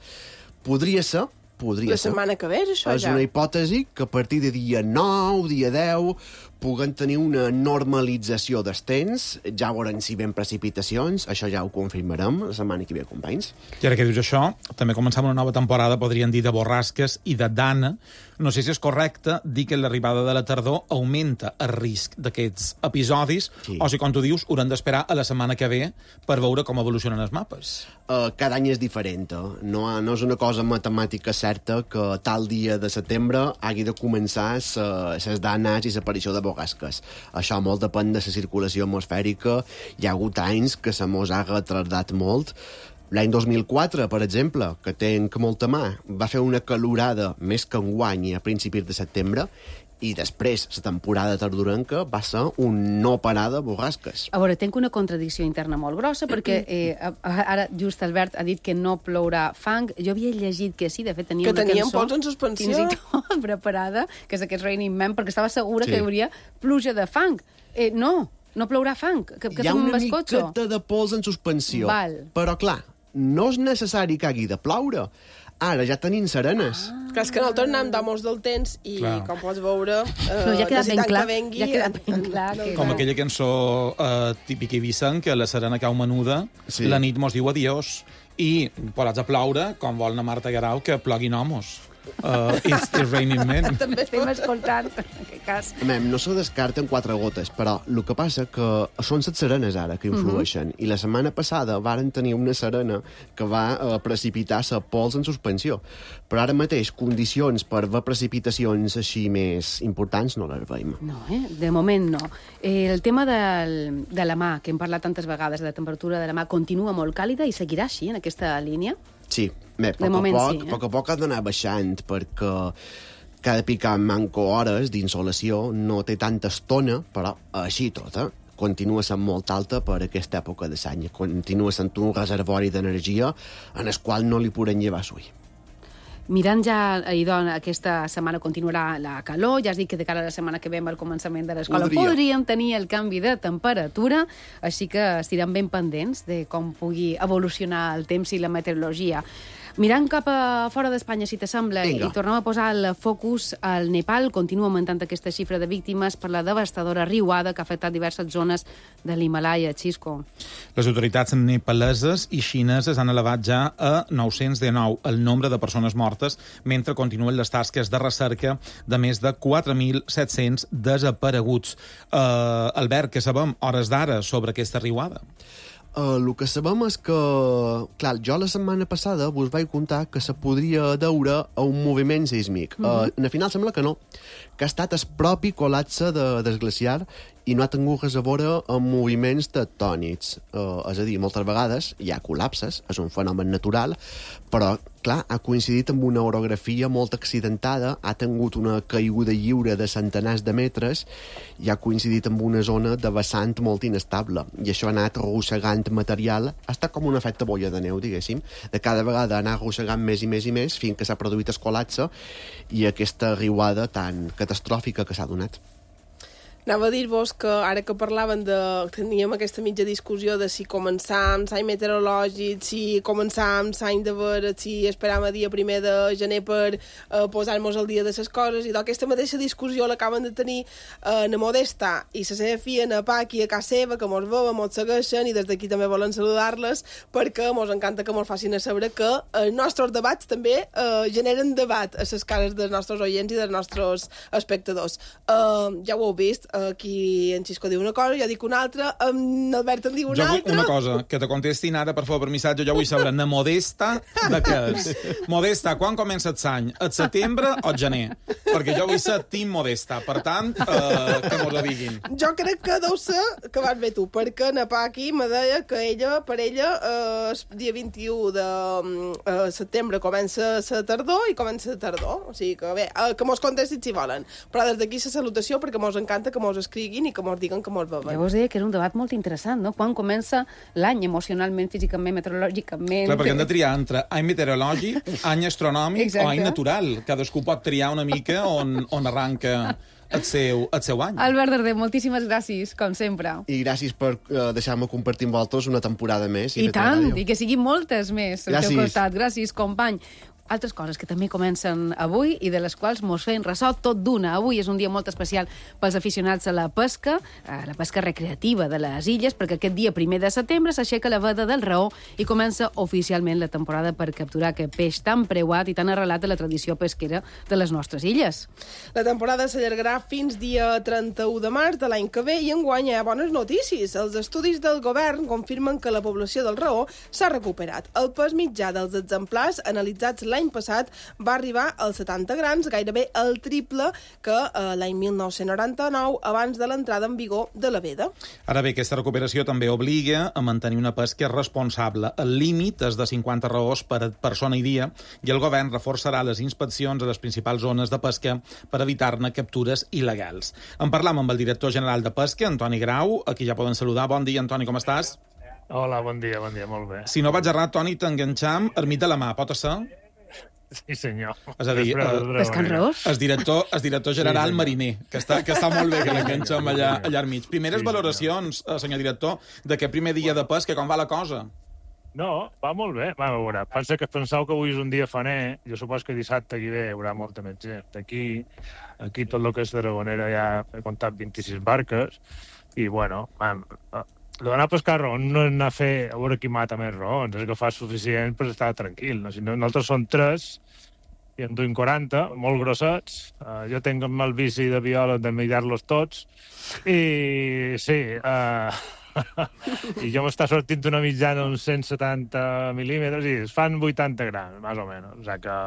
Podria ser. La setmana que ve, això és una hipòtesi que a partir de dia 9, dia 10, puguen tenir una normalització dels temps, ja veurem si ven precipitacions, això ja ho confirmarem la setmana que ve, companys. I ara que dius això, també començam una nova temporada, podrien dir, de borrasques i de dana. No sé si és correcte dir que l'arribada de la tardor augmenta el risc d'aquests episodis, o si, com tu dius, haurem d'esperar a la setmana que ve per veure com evolucionen els mapes. Cada any és diferent. No és una cosa matemàtica certa que tal dia de setembre hagi de començar les danes i l'aparició de borrasques. Això molt depèn de la circulació atmosfèrica. Hi ha hagut anys que se mos ha retardat molt. L'any 2004, per exemple, que tenc molta mà, va fer una calorada més que enguany a principis de setembre, i després la temporada tardorenca va ser un no parar de borrasques. A veure, tinc una contradicció interna molt grossa, perquè ara just Albert ha dit que no plourà fang. Jo havia llegit que sí, de fet tenia una cançó... Que teníem pols en suspensió. Fins i tot preparada, que és aquest Raining Man, perquè estava segura que hi hauria pluja de fang. No plourà fang. Hi ha una miqueta de pols en suspensió. Però, clar, no és necessari que hagi de ploure. Ara ja tenim serenes. Clar, és que nosaltres anem d'amos del temps i, com pots veure, ja ha quedat ben clar. Ja ha quedat ben clar. Com aquella cançó típica Ibicenc, que la serena cau menuda, la nit mos diu adiós, i posats a ploure, com vol la Marta Guerau, que ploguin homos. It's Raining Men. També estem escoltant, en aquest cas. No se descarten 4 gotes, però el que passa que són les serenes ara que influeixen. I la setmana passada varen tenir una serena que va precipitar la pols en suspensió. Però ara mateix, condicions per ver precipitacions així més importants no les veiem. No, de moment no. El tema de la mà, que hem parlat tantes vegades, de la temperatura de la mà, continua molt càlida i seguirà així, en aquesta línia? Sí, a poc a poc ha d'anar baixant, perquè cada picar manco hores d'insolació no té tanta estona, però així tot, continua sent molt alta per aquesta època de l'any. Continua sent un reservori d'energia en el qual no li podem llevar suï. Mirant ja, aquesta setmana continuarà la calor, ja has dit que de cara a la setmana que ve al començament de l'escola podríem tenir el canvi de temperatura, així que estirem ben pendents de com pugui evolucionar el temps i la meteorologia. Mirant cap a fora d'Espanya, si t'assembla, i tornem a posar el focus al Nepal, continua augmentant aquesta xifra de víctimes per la devastadora riuada que ha afectat diverses zones de l'Himalaya. Xisco. Les autoritats nepaleses i xineses han elevat ja a 919 el nombre de persones mortes, mentre continuen les tasques de recerca de més de 4.700 desapareguts. Albert, què sabem hores d'ara sobre aquesta riuada? El que sabem és que, clar, jo la setmana passada vos vaig contar que se podria deure a un moviment sísmic. Al final sembla que no, que ha estat el propi col·lapse del glaciar i no ha tingut res a veure amb moviments tectònics. És a dir, moltes vegades hi ha col·lapses, és un fenomen natural, però, clar, ha coincidit amb una orografia molt accidentada, ha tingut una caiguda lliure de centenars de metres i ha coincidit amb una zona de vessant molt inestable. I això ha anat arrossegant material, ha estat com un efecte boia de neu, diguéssim, de cada vegada anar arrossegant més i més i més fins que s'ha produït el col·lapse i aquesta riuada tan catastròfica que s'ha donat. Anava a dir-vos que ara que parlaven teníem aquesta mitja discussió de si començàvem l'any meteorològic, si començàvem l'any de veure, si esperàvem el dia 1 de gener per posar-nos al dia de les coses, i d'aquesta mateixa discussió l'acaben de tenir na Modesta i la seva filla, na Paqui, a casa seva, que mos veuen, mos segueixen, i des d'aquí també volen saludar-les, perquè mos encanta que mos facin a saber que els nostres debats també generen debat a les cases dels nostres oients i dels nostres espectadors. Ja ho heu vist, aquí en Xisco diu una cosa, jo dic una altra, en Albert en diu una altra. Jo vull una cosa, que te contestin ara, per favor, per missatge, jo vull saber, na Modesta, de què és? Modesta, quan comença l'any? El setembre o el gener? Perquè jo vull ser team Modesta, per tant, que mos la diguin. Jo crec que deu ser que vas bé tu, perquè na Paqui me deia que per ella, el dia 21 de setembre comença la tardor i comença la tardor. O sigui que bé, que mos contestin si volen. Però des d'aquí la salutació, perquè mos encanta que mos escriguin i que mos diguen que mos veuen. Ja vos deia que era un debat molt interessant, no? Quan comença l'any emocionalment, físicament, meteorològicament... Clar, perquè hem de triar entre any meteorològic, any astronòmic o any natural. Cadascú pot triar una mica on arranca el seu any. Albert Darder, moltíssimes gràcies, com sempre. I gràcies per deixar-me compartir amb vosaltres una temporada més. I tant, i que siguin moltes més al teu costat. Gràcies, company. Altres coses que també comencen avui i de les quals mos feien ressò tot d'una. Avui és un dia molt especial pels aficionats a la pesca recreativa de les illes, perquè aquest dia 1 de setembre s'aixeca la veda del Raó i comença oficialment la temporada per capturar aquest peix tan preuat i tan arrelat a la tradició pesquera de les nostres illes. La temporada s'allargarà fins dia 31 de març de l'any que ve i enguany hi ha bones notícies. Els estudis del govern confirmen que la població del Raó s'ha recuperat. El pes mitjà dels exemplars analitzats l'any passat va arribar als 70 grams, gairebé el triple que l'any 1999, abans de l'entrada en vigor de la veda. Ara bé, aquesta recuperació també obliga a mantenir una pesca responsable. El límit és de 50 raós per persona i dia i el govern reforçarà les inspeccions a les principals zones de pesca per evitar-ne captures il·legals. En parlam amb el director general de Pesca, Antoni Grau, a qui ja poden saludar. Bon dia, Antoni, com estàs? Hola, bon dia, molt bé. Si no vaig errat, Toni, t'enganxam ermit de la mà, pot ser? Sí, senyor. És a dir, el director general mariner, que està molt bé que l'enganxem allà al mig. Primeres valoracions, senyor director, d'aquest primer dia de pesca, com va la cosa? No, va molt bé. Va, a veure, penseu que avui és un dia faner, jo supos que dissabte aquí ve hi haurà molta més gent. Aquí tot el que és Tarragonera ja he comptat 26 barques, i bueno, l'anar a pescar raons no és anar a fer a veure qui mata més raons, és que fa suficient per estar tranquil. No? Si no, nosaltres som 3 i en duim 40, molt grossets. Jo tinc el bici de biòleg de mirar-los tots i sí, i jo m'està sortint una mitjana uns 170 mil·límetres i es fan 80 grams, més o menys. O sigui que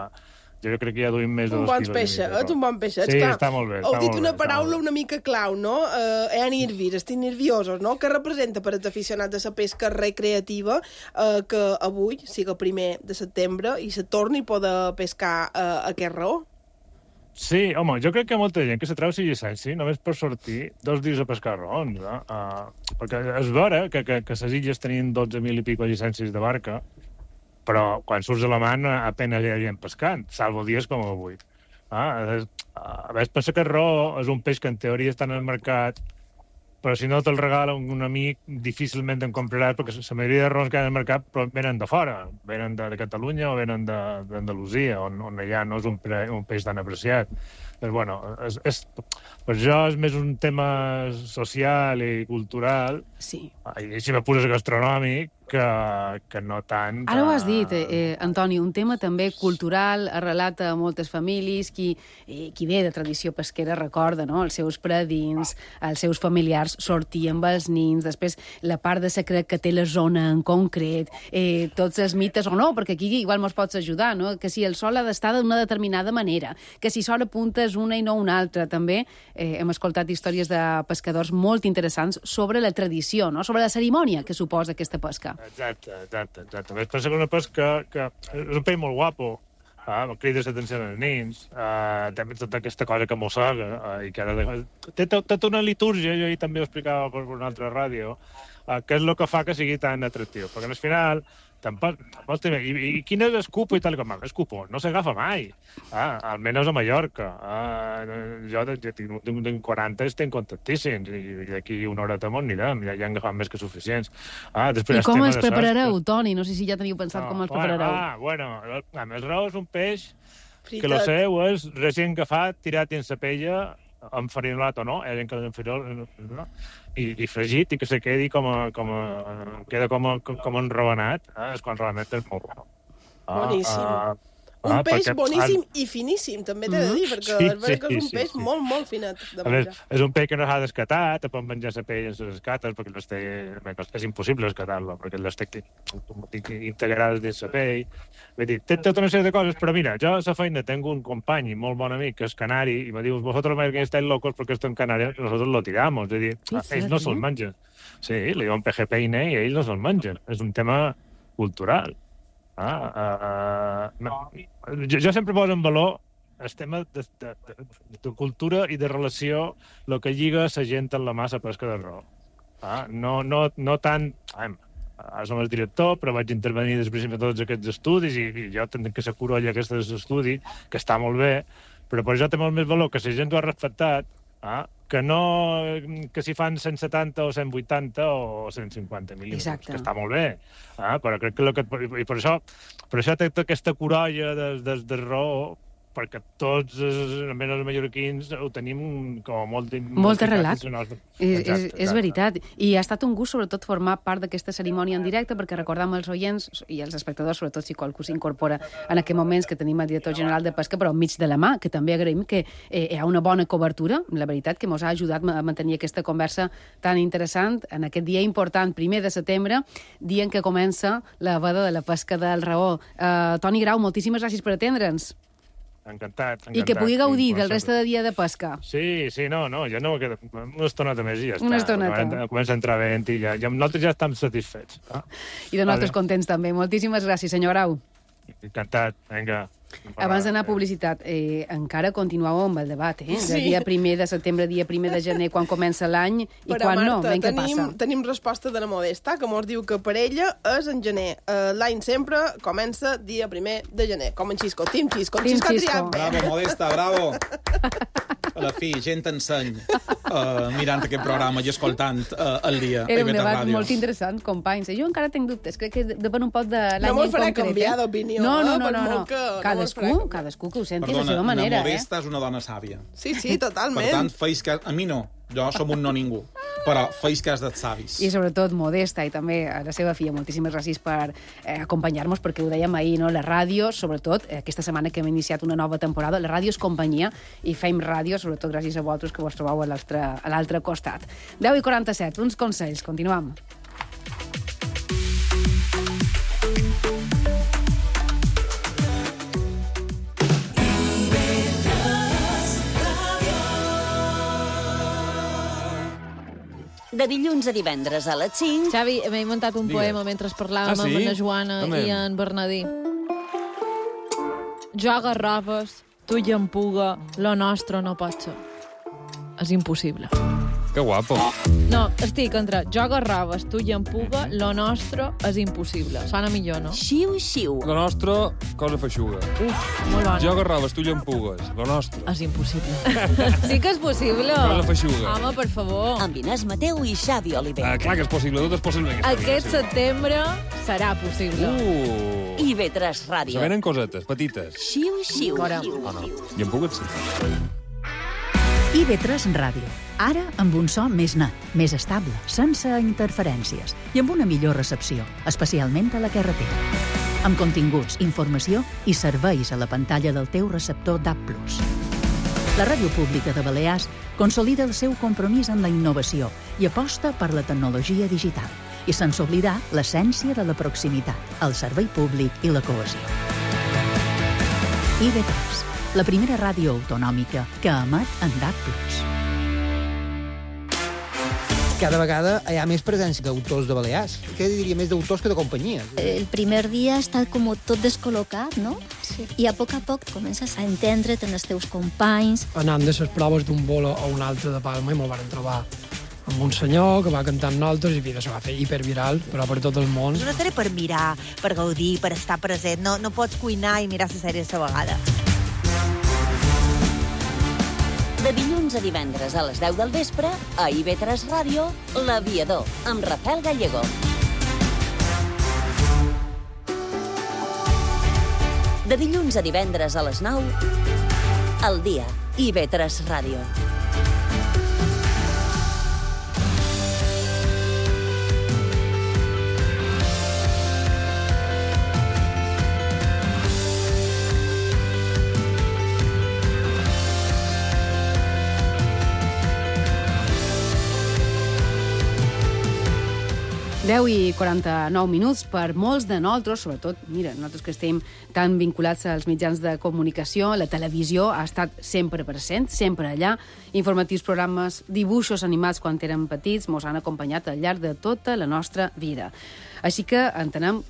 jo crec que ja duim més de 2 quilos. Un bon peixet. Sí, està molt bé. Heu dit una paraula una mica clau, no? Estic nerviosos, no? Que representa per als aficionats de la pesca recreativa que avui siga 1 de setembre i se torni a poder pescar aquest raó? Sí, home, jo crec que molta gent que se treu la llicència només per sortir 2 dies a pescar raons, no? Perquè és vera que les illes tenien 12.000 i pico llicències de barca, però quan surts a la mar apenas hi ha gent pescant, salvo dies com avui. A més, pensa que el raó és un peix que en teoria està en el mercat però si no te'l regala un amic, difícilment en compraràs, perquè la majoria de raons que hi ha al mercat venen de fora, venen de Catalunya o venen d'Andalusia, on allà no és un peix tan apreciat. Però, bueno, per això és més un tema social i cultural, i si me poses gastronòmic, que no tant... Ara ho has dit, Antoni, un tema també cultural, arrelat a moltes famílies, qui ve de tradició pesquera recorda, no?, els seus predins, els seus familiars sortien amb els nins, després la part de secret que té la zona en concret, tots els mites o no, perquè aquí igual mos pots ajudar, no?, que si el sol ha d'estar d'una determinada manera, que si s'hora punta és una i no una altra. També hem escoltat històries de pescadors molt interessants sobre la tradició, no?, sobre la cerimònia que suposa aquesta pesca. Exacte. Ves pensa que una pesca que és un peix molt guapo, crides l'atenció als nins, també tota aquesta cosa que mossega, i que té tota una litúrgia, jo ahir també ho explicava per una altra ràdio, que és el que fa que sigui tan atractiu, perquè al final i quin és l'escupo i tal com? L'escupo no s'agafa mai, almenys a Mallorca. Jo tinc 40 i estic contentíssims, i d'aquí una horeta m'ho anirem, ja han agafat més que suficients. I com els preparareu, Toni? No sé si ja teniu pensat com els preparareu. Bueno, el rau és un peix que el seu és recient agafat, tirat dins la pella, enfarinolat o no, que i fregit, i que se quedi queda com enravenat, és quan realment és molt bo. Boníssim. Un peix boníssim i finíssim, també t'he de dir, perquè és veritat que és un peix molt, molt finet de menjar. És un peix que no s'ha d'escatar, te pot menjar la pell en les escates, perquè és impossible escatar-lo, perquè les té integrades dins la pell. Té tota una sèrie de coses, però mira, jo a la feina tinc un company molt bon amic, que és canari, i me diu, vosotros americanos estáis locos porque esto en Canarias nosotros lo tiramos. És a dir, ells no se'l mengen. Sí, li diuen pejepeine i ells no se'l mengen. És un tema cultural. Jo sempre poso en valor el tema de cultura i de relació, el que lliga la gent en la massa pesca de raó. No tant... Ara som el director, però vaig intervenir després de tots aquests estudis, i jo tinc que ser curolla aquest estudi, que està molt bé, però per això té molt més valor que la gent ho ha respectat, que si fan 170 o 180 o 150 mil·límetres, que està molt bé. Però crec que... I per això té aquesta curolla de raó, perquè tots, almenys els mallorquins, ho tenim com molt arrelat. És veritat. I ha estat un gust, sobretot, formar part d'aquesta cerimònia en directe, perquè recordam els oients i els espectadors, sobretot si qualcú s'incorpora en aquests moments que tenim el director general de Pesca, però enmig de la mà, que també agraïm que hi ha una bona cobertura, la veritat, que ens ha ajudat a mantenir aquesta conversa tan interessant en aquest dia important, 1 de setembre, dia en què comença la veda de la pesca del raó. Toni Grau, moltíssimes gràcies per atendre'ns. Encantat. I que pugui gaudir del reste de dia de pesca. Sí, no, ja no queda una estoneta més i ja està. Una estoneta. Comença a entrar vent i nosaltres ja estem satisfets. I de nosaltres contents també. Moltíssimes gràcies, senyor Grau. Encantat, vinga. Abans d'anar a publicitat, encara continuàveu amb el debat, de dia 1 de setembre, dia 1 de gener, quan comença l'any i quan no. Què passa? Tenim resposta de la Modesta, que mos diu que per ella és en gener. L'any sempre comença dia 1 de gener, com en Xisco. Team Xisco. Xisco ha triat bé. Bravo, Modesta, bravo. A la fi, gent enseny mirant aquest programa i escoltant el dia. Era un debat molt interessant, companys. Jo encara tinc dubtes, crec que depèn un poc de l'any en concret. No m'ho farà canviar d'opinió. No. Cadascú que ho senti de la seva manera. La Modesta és una dona sàvia. Sí, totalment. Per tant, feis cas... A mi no. Jo som un no ningú. Però feis cas dels savis. I sobretot Modesta i també a la seva filla. Moltíssimes gràcies per acompanyar-nos, perquè ho dèiem ahir, no? La ràdio, sobretot, aquesta setmana que hem iniciat una nova temporada, la ràdio és companyia i fem ràdio, sobretot gràcies a vosaltres que vos trobeu a l'altre costat. 10:47, uns consells. Continuem. De dilluns a divendres a les 5... Xavi, m'he inventat un poema mentre parlàvem amb la Joana i en Bernadí. Jo agarraves, tu i en puga, lo nostre no pot ser. És impossible. Que guapo. No, estic entre joga raves, tu i en puga, lo nostre és impossible. Sona millor, no? Xiu-xiu. Lo nostre, cosa feixuga. Uf, molt bona. Joga raves, tu i en pugues. Lo nostre. És impossible. Sí que és possible. Cosa feixuga. Home, per favor. Amb Inés Mateu i Xavi Oliver. Clar que és possible, tot és possible. Aquest setembre serà possible. IB3 Ràdio. Se venen cosetes, petites. Xiu-xiu. Oh, no. I en pugues, sí. IB3 Ràdio. Ara amb un so més net, més estable, sense interferències i amb una millor recepció, especialment a la carretera. Amb continguts, informació i serveis a la pantalla del teu receptor DAB+. La Ràdio Pública de Balears consolida el seu compromís amb la innovació i aposta per la tecnologia digital. I sense oblidar l'essència de la proximitat, el servei públic i la cohesió. IB3, la primera ràdio autonòmica que emet en DAB+. Cada vegada hi ha més presència d'autors de Balears. Què diria més d'autors que de companyies? El primer dia està com tot descol·locat, no? Sí. I a poc comences a entendre't en els teus companys. Anant de les proves d'un bolo a un altre de Palma i me'l van trobar amb un senyor que va cantar amb nosaltres i això va fer hiperviral, però per tot el món. És una sèrie per mirar, per gaudir, per estar present. No pots cuinar i mirar la sèrie a la vegada. De dilluns a divendres a les 10 del vespre, a IB3 Ràdio, L'Aviador, amb Rafael Gallego. De dilluns a divendres a les 9, al dia, IB3 Ràdio. I 49 minuts per molts de nosaltres, sobretot, mira, nosaltres que estem tan vinculats als mitjans de comunicació, la televisió ha estat sempre present, sempre allà, informatius programes, dibuixos animats quan érem petits, mos han acompanyat al llarg de tota la nostra vida. Així que entenem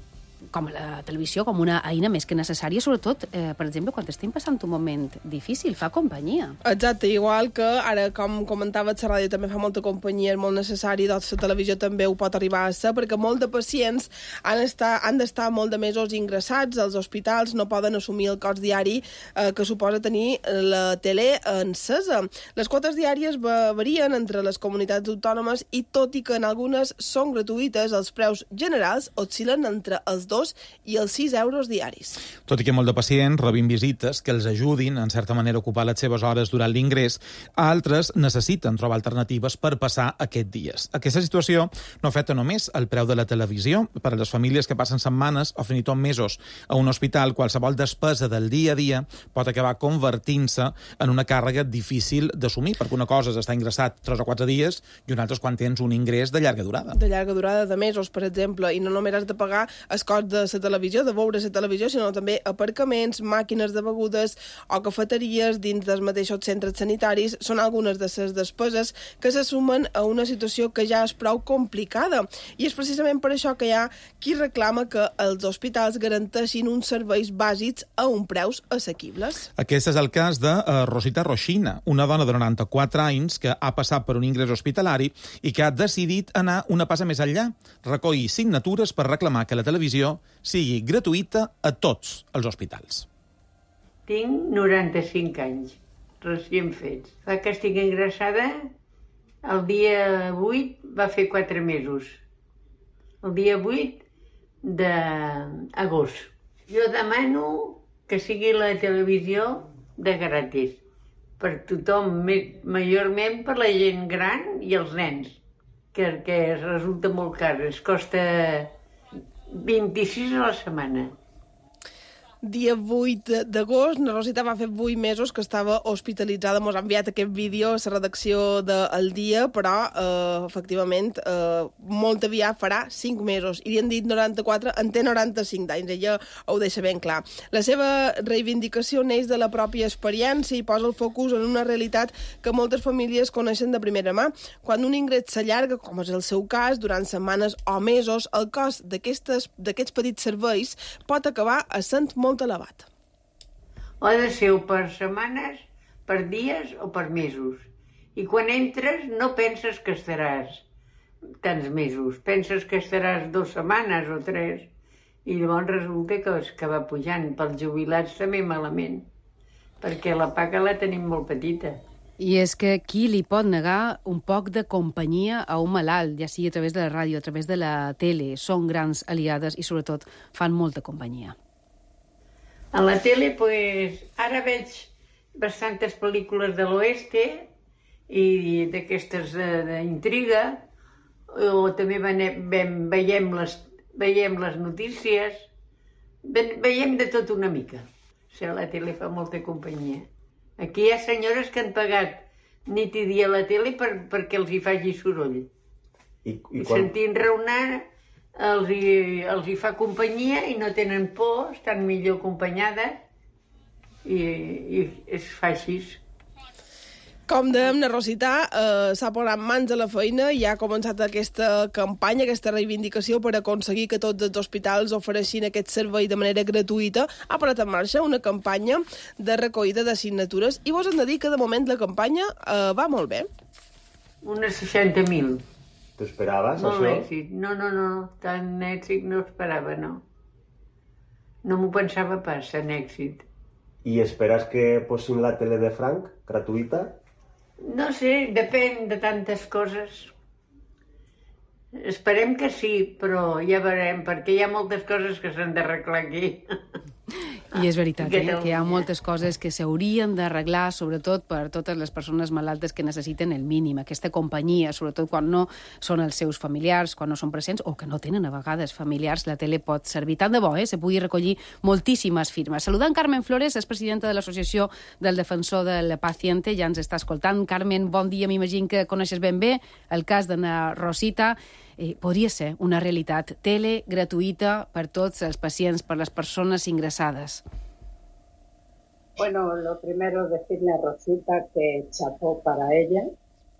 com la televisió com una eina més que necessària, sobretot, per exemple, quan estem passant un moment difícil, fa companyia. Exacte, igual que ara, com comentava, la ràdio també fa molta companyia, és molt necessari, doncs la televisió també ho pot arribar a ser, perquè molts de pacients han d'estar molt de mesos ingressats als hospitals, no poden assumir el cost diari que suposa tenir la tele encesa. Les quotes diàries varien entre les comunitats autònomes i, tot i que en algunes són gratuïtes, els preus generals oscil·len entre els 2 i els 6 euros diaris. Tot i que molt de pacients rebin visites que els ajudin, en certa manera, a ocupar les seves hores durant l'ingrés, altres necessiten trobar alternatives per passar aquests dies. Aquesta situació no afecta només el preu de la televisió. Per a les famílies que passen setmanes o fins i tot mesos a un hospital, qualsevol despesa del dia a dia pot acabar convertint-se en una càrrega difícil d'assumir, perquè una cosa és estar ingressat 3 o 4 dies i una altra és quan tens un ingrés de llarga durada. De llarga durada, de mesos, per exemple, i no només has de pagar el cost de la televisió, de veure la televisió, sinó també aparcaments, màquines de begudes o cafeteries dins dels mateixos centres sanitaris. Són algunes de les despeses que se sumen a una situació que ja és prou complicada. I és precisament per això que hi ha qui reclama que els hospitals garanteixin uns serveis bàsics a uns preus assequibles. Aquest és el cas de Rosita Roxina, una dona de 94 anys que ha passat per un ingrés hospitalari i que ha decidit anar una passa més enllà, recollir signatures per reclamar que la televisió sigui gratuïta a tots els hospitals. Tinc 95 anys, recient fets. Fa que estic ingressada, el dia 8 va fer 4 mesos. El dia 8 d'agost. Jo demano que sigui la televisió de gratis per tothom, majorment per la gent gran i els nens, que resulta molt car, es costa 26 a la setmana. Dia 8 d'agost, la Rosita va fer 8 mesos que estava hospitalitzada. Mos ha enviat aquest vídeo a la redacció del Dia, però, efectivament, molt aviat farà 5 mesos. I li han dit 94, en té 95 d'anys, ella ho deixa ben clar. La seva reivindicació neix de la pròpia experiència i posa el focus en una realitat que moltes famílies coneixen de primera mà. Quan un ingrés s'allarga, com és el seu cas, durant setmanes o mesos, el cost d'aquests petits serveis pot acabar essent molt elevat. O ha de ser per setmanes, per dies o per mesos. I quan entres no penses que estaràs tants mesos, penses que estaràs 2 setmanes o 3, i llavors resulta que va pujant. Pels jubilats també malament, perquè la paga la tenim molt petita. I és que qui li pot negar un poc de companyia a un malalt, ja sigui a través de la ràdio, a través de la tele, són grans aliades i sobretot fan molta companyia. A la tele, pues, ara veig bastantes pel·lícules de l'oeste i d'aquestes d'intriga, o també veiem les notícies, veiem de tot una mica. O sigui, la tele fa molta companyia. Aquí hi ha senyores que han pagat nit i dia a la tele perquè els hi faci soroll. I sentint raonar els hi fa companyia i no tenen por, estan millor acompanyades i es fa així. Com dèiem, na Rosita s'ha posat mans a la feina i ha començat aquesta campanya, aquesta reivindicació per aconseguir que tots els hospitals ofereixin aquest servei de manera gratuïta. Ha posat en marxa una campanya de recollida de signatures i vos hem de dir que de moment la campanya va molt bé. Unes 60.000. T'esperaves, això? Molt èxit. No, tant èxit no esperava, no. No m'ho pensava pas, en èxit. I esperes que posin la tele de franc, gratuïta? No sé, depèn de tantes coses. Esperem que sí, però ja veurem, perquè hi ha moltes coses que s'han d'arreglar aquí. I és veritat, que hi ha moltes coses que s'haurien d'arreglar, sobretot per totes les persones malaltes que necessiten el mínim, aquesta companyia, sobretot quan no són els seus familiars, quan no són presents o que no tenen a vegades familiars, la tele pot servir. Tant de bo, se pugui recollir moltíssimes firmes. Saludant Carmen Flores, és presidenta de l'Associació del Defensor del Paciente, ja ens està escoltant. Carmen, bon dia, m'imagino que coneixes ben bé el cas de na Rosita. Podria ser una realitat, tele gratuïta per tots els pacients, per les persones ingressades. Bueno, lo primero decirle a Rosita que chapó para ella,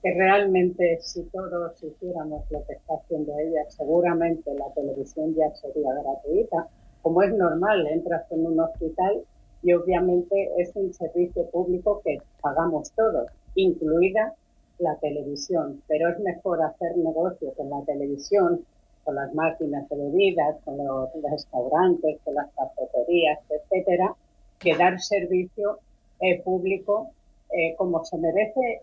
que realmente si todos hiciéramos lo que está haciendo ella, seguramente la televisión ya sería gratuita. Como es normal, entras en un hospital y obviamente es un servicio público que pagamos todos, incluida la televisión, pero es mejor hacer negocios en la televisión, con las máquinas de bebidas, con los restaurantes, con las cafeterías, etcétera, que dar servicio público como se merece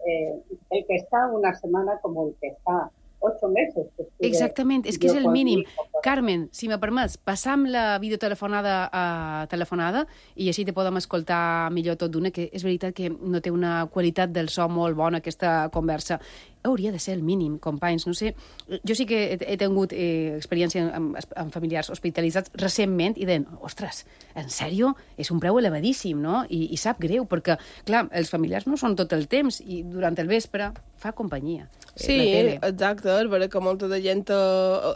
el que está una semana como el que està 8 mesos. Exactament, és que és el mínim. Carmen, si me permets, passam la videotelefonada telefonada i així te podem escoltar millor tot d'una, que és veritat que no té una qualitat del so molt bona aquesta conversa. Hauria de ser el mínim, companys. No sé, jo sí que he tingut experiència amb familiars hospitalitzats recentment i deien, ostres, en sèrio? És un preu elevadíssim, no? I sap greu, perquè, clar, els familiars no són tot el temps i durant el vespre fa companyia. Sí, exacte, és vera que molta de gent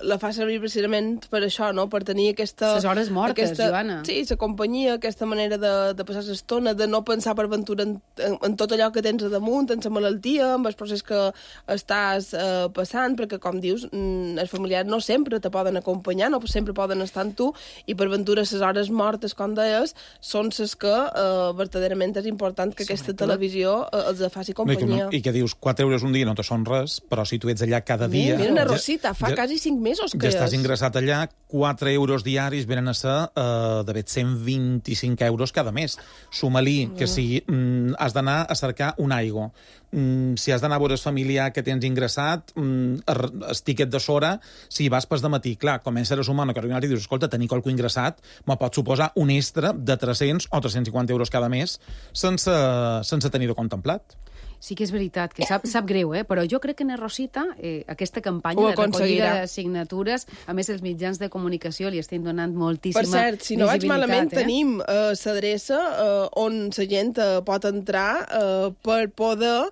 la fa servir precisament per això, no? Per tenir aquesta... Les hores mortes, Joana. Sí, la companyia, aquesta manera de passar l'estona, de no pensar per aventura en tot allò que tens a damunt, en la malaltia, en el procés que estàs passant, perquè, com dius, els familiars no sempre te poden acompanyar, no sempre poden estar amb tu, i per aventura les hores mortes, com deies, són les que verdaderament és important que aquesta televisió els faci companyia. I que dius, 4 euros un dia no te són res, però si tu ets allà cada dia... Mira, una Rosita, fa quasi 5 mesos que ja estàs ingressat allà, 4 euros diaris venen a ser de 125 euros cada mes. Suma-li que si has d'anar a cercar un aigua, si has d'anar a veure el familiar que tens ingressat, el tiquet de sora, si vas pas de matí, clar, com a ser humà que i dius, escolta, tenir qualcú ingressat me pot suposar un extra de 300 o 350 euros cada mes sense tenir-ho contemplat. Sí que és veritat, que sap greu, però jo crec que en Rosita, aquesta campanya de recollida de signatures, a més els mitjans de comunicació li estem donant moltíssima visibilitat. Per cert, si no vaig malament, tenim l'adreça on la gent pot entrar per poder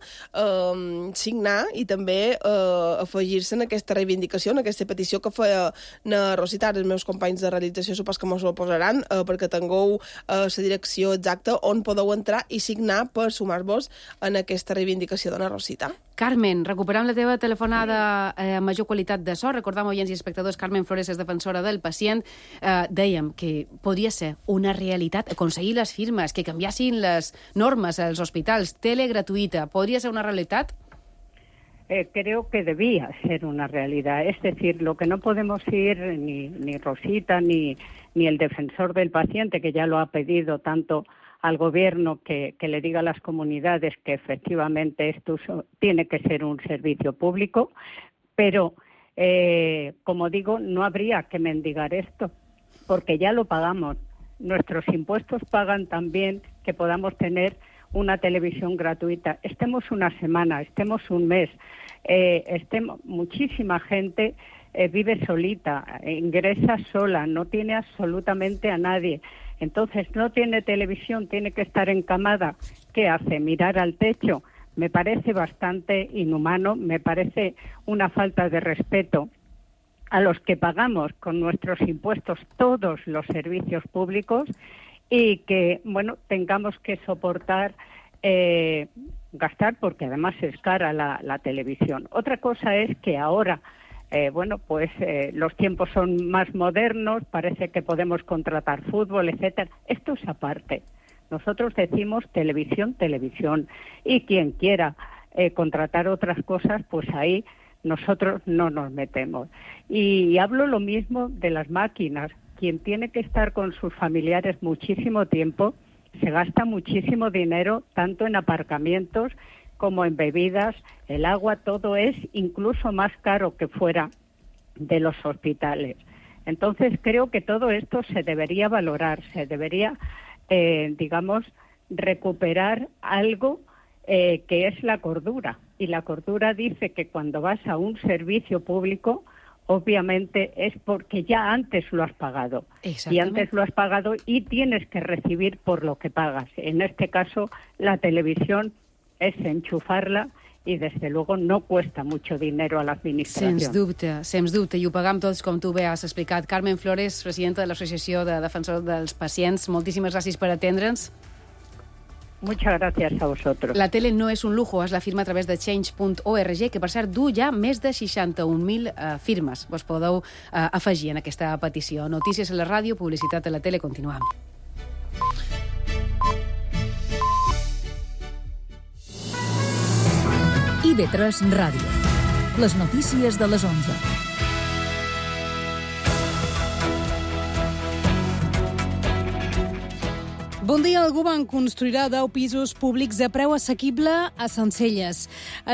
signar i també afegir-se en aquesta reivindicació, en aquesta petició que feia na Rosita. Els meus companys de realització supos que mos ho posaran perquè tingueu la direcció exacta on podeu entrar i signar per sumar-vos en aquesta reivindicació de na Rosita. Carmen, recuperant la teva telefonada amb major qualitat de so, recordam, oients i espectadors, Carmen Flores és defensora del pacient, dèiem que podria ser una realitat aconseguir les firmes, que canviassin les normes als hospitals, tele gratuïta, podria ser una realitat? creo que debía ser una realidad. Es decir, lo que no podemos ir, ni Rosita, ni el defensor del paciente, que ya lo ha pedido tanto al gobierno que le diga a las comunidades que efectivamente esto tiene que ser un servicio público, pero, como digo, no habría que mendigar esto, porque ya lo pagamos. Nuestros impuestos pagan también que podamos tener una televisión gratuita. Estemos una semana, estemos un mes, muchísima gente vive solita, ingresa sola, no tiene absolutamente a nadie. Entonces no tiene televisión, tiene que estar encamada. ¿Qué hace? ¿Mirar al techo? Me parece bastante inhumano, me parece una falta de respeto a los que pagamos con nuestros impuestos todos los servicios públicos y que, bueno, tengamos que soportar gastar, porque además es cara la televisión. Otra cosa es que ahora, los tiempos son más modernos, parece que podemos contratar fútbol, etcétera. Esto es aparte. Nosotros decimos televisión, y quien quiera contratar otras cosas, pues ahí nosotros no nos metemos. Y hablo lo mismo de las máquinas. Quien tiene que estar con sus familiares muchísimo tiempo, se gasta muchísimo dinero, tanto en aparcamientos como en bebidas, el agua, todo es incluso más caro que fuera de los hospitales. Entonces creo que todo esto se debería valorar, se debería, recuperar algo que es la cordura. Y la cordura dice que cuando vas a un servicio público, obviamente es porque ya antes lo has pagado. Y antes lo has pagado y tienes que recibir por lo que pagas. En este caso, la televisión és enxufar-la i, des de luego, no cuesta mucho dinero a l'administració. Sens dubte, i ho pagam tots, com tu bé has explicat. Carmen Flores, presidenta de l'Associació de Defensors dels Pacients, moltíssimes gràcies per atendre'ns. Muchas gracias a vosotros. La tele no és un lujo, es la firma a través de change.org, que per cert du ja més de 61.000 firmes. Vos podeu afegir en aquesta petició. Notícies a la ràdio, publicitat a la tele, continuem. IB3 Ràdio. Les notícies de les 11. Bon dia. El govern construirà 10 pisos públics a preu assequible a Sencelles.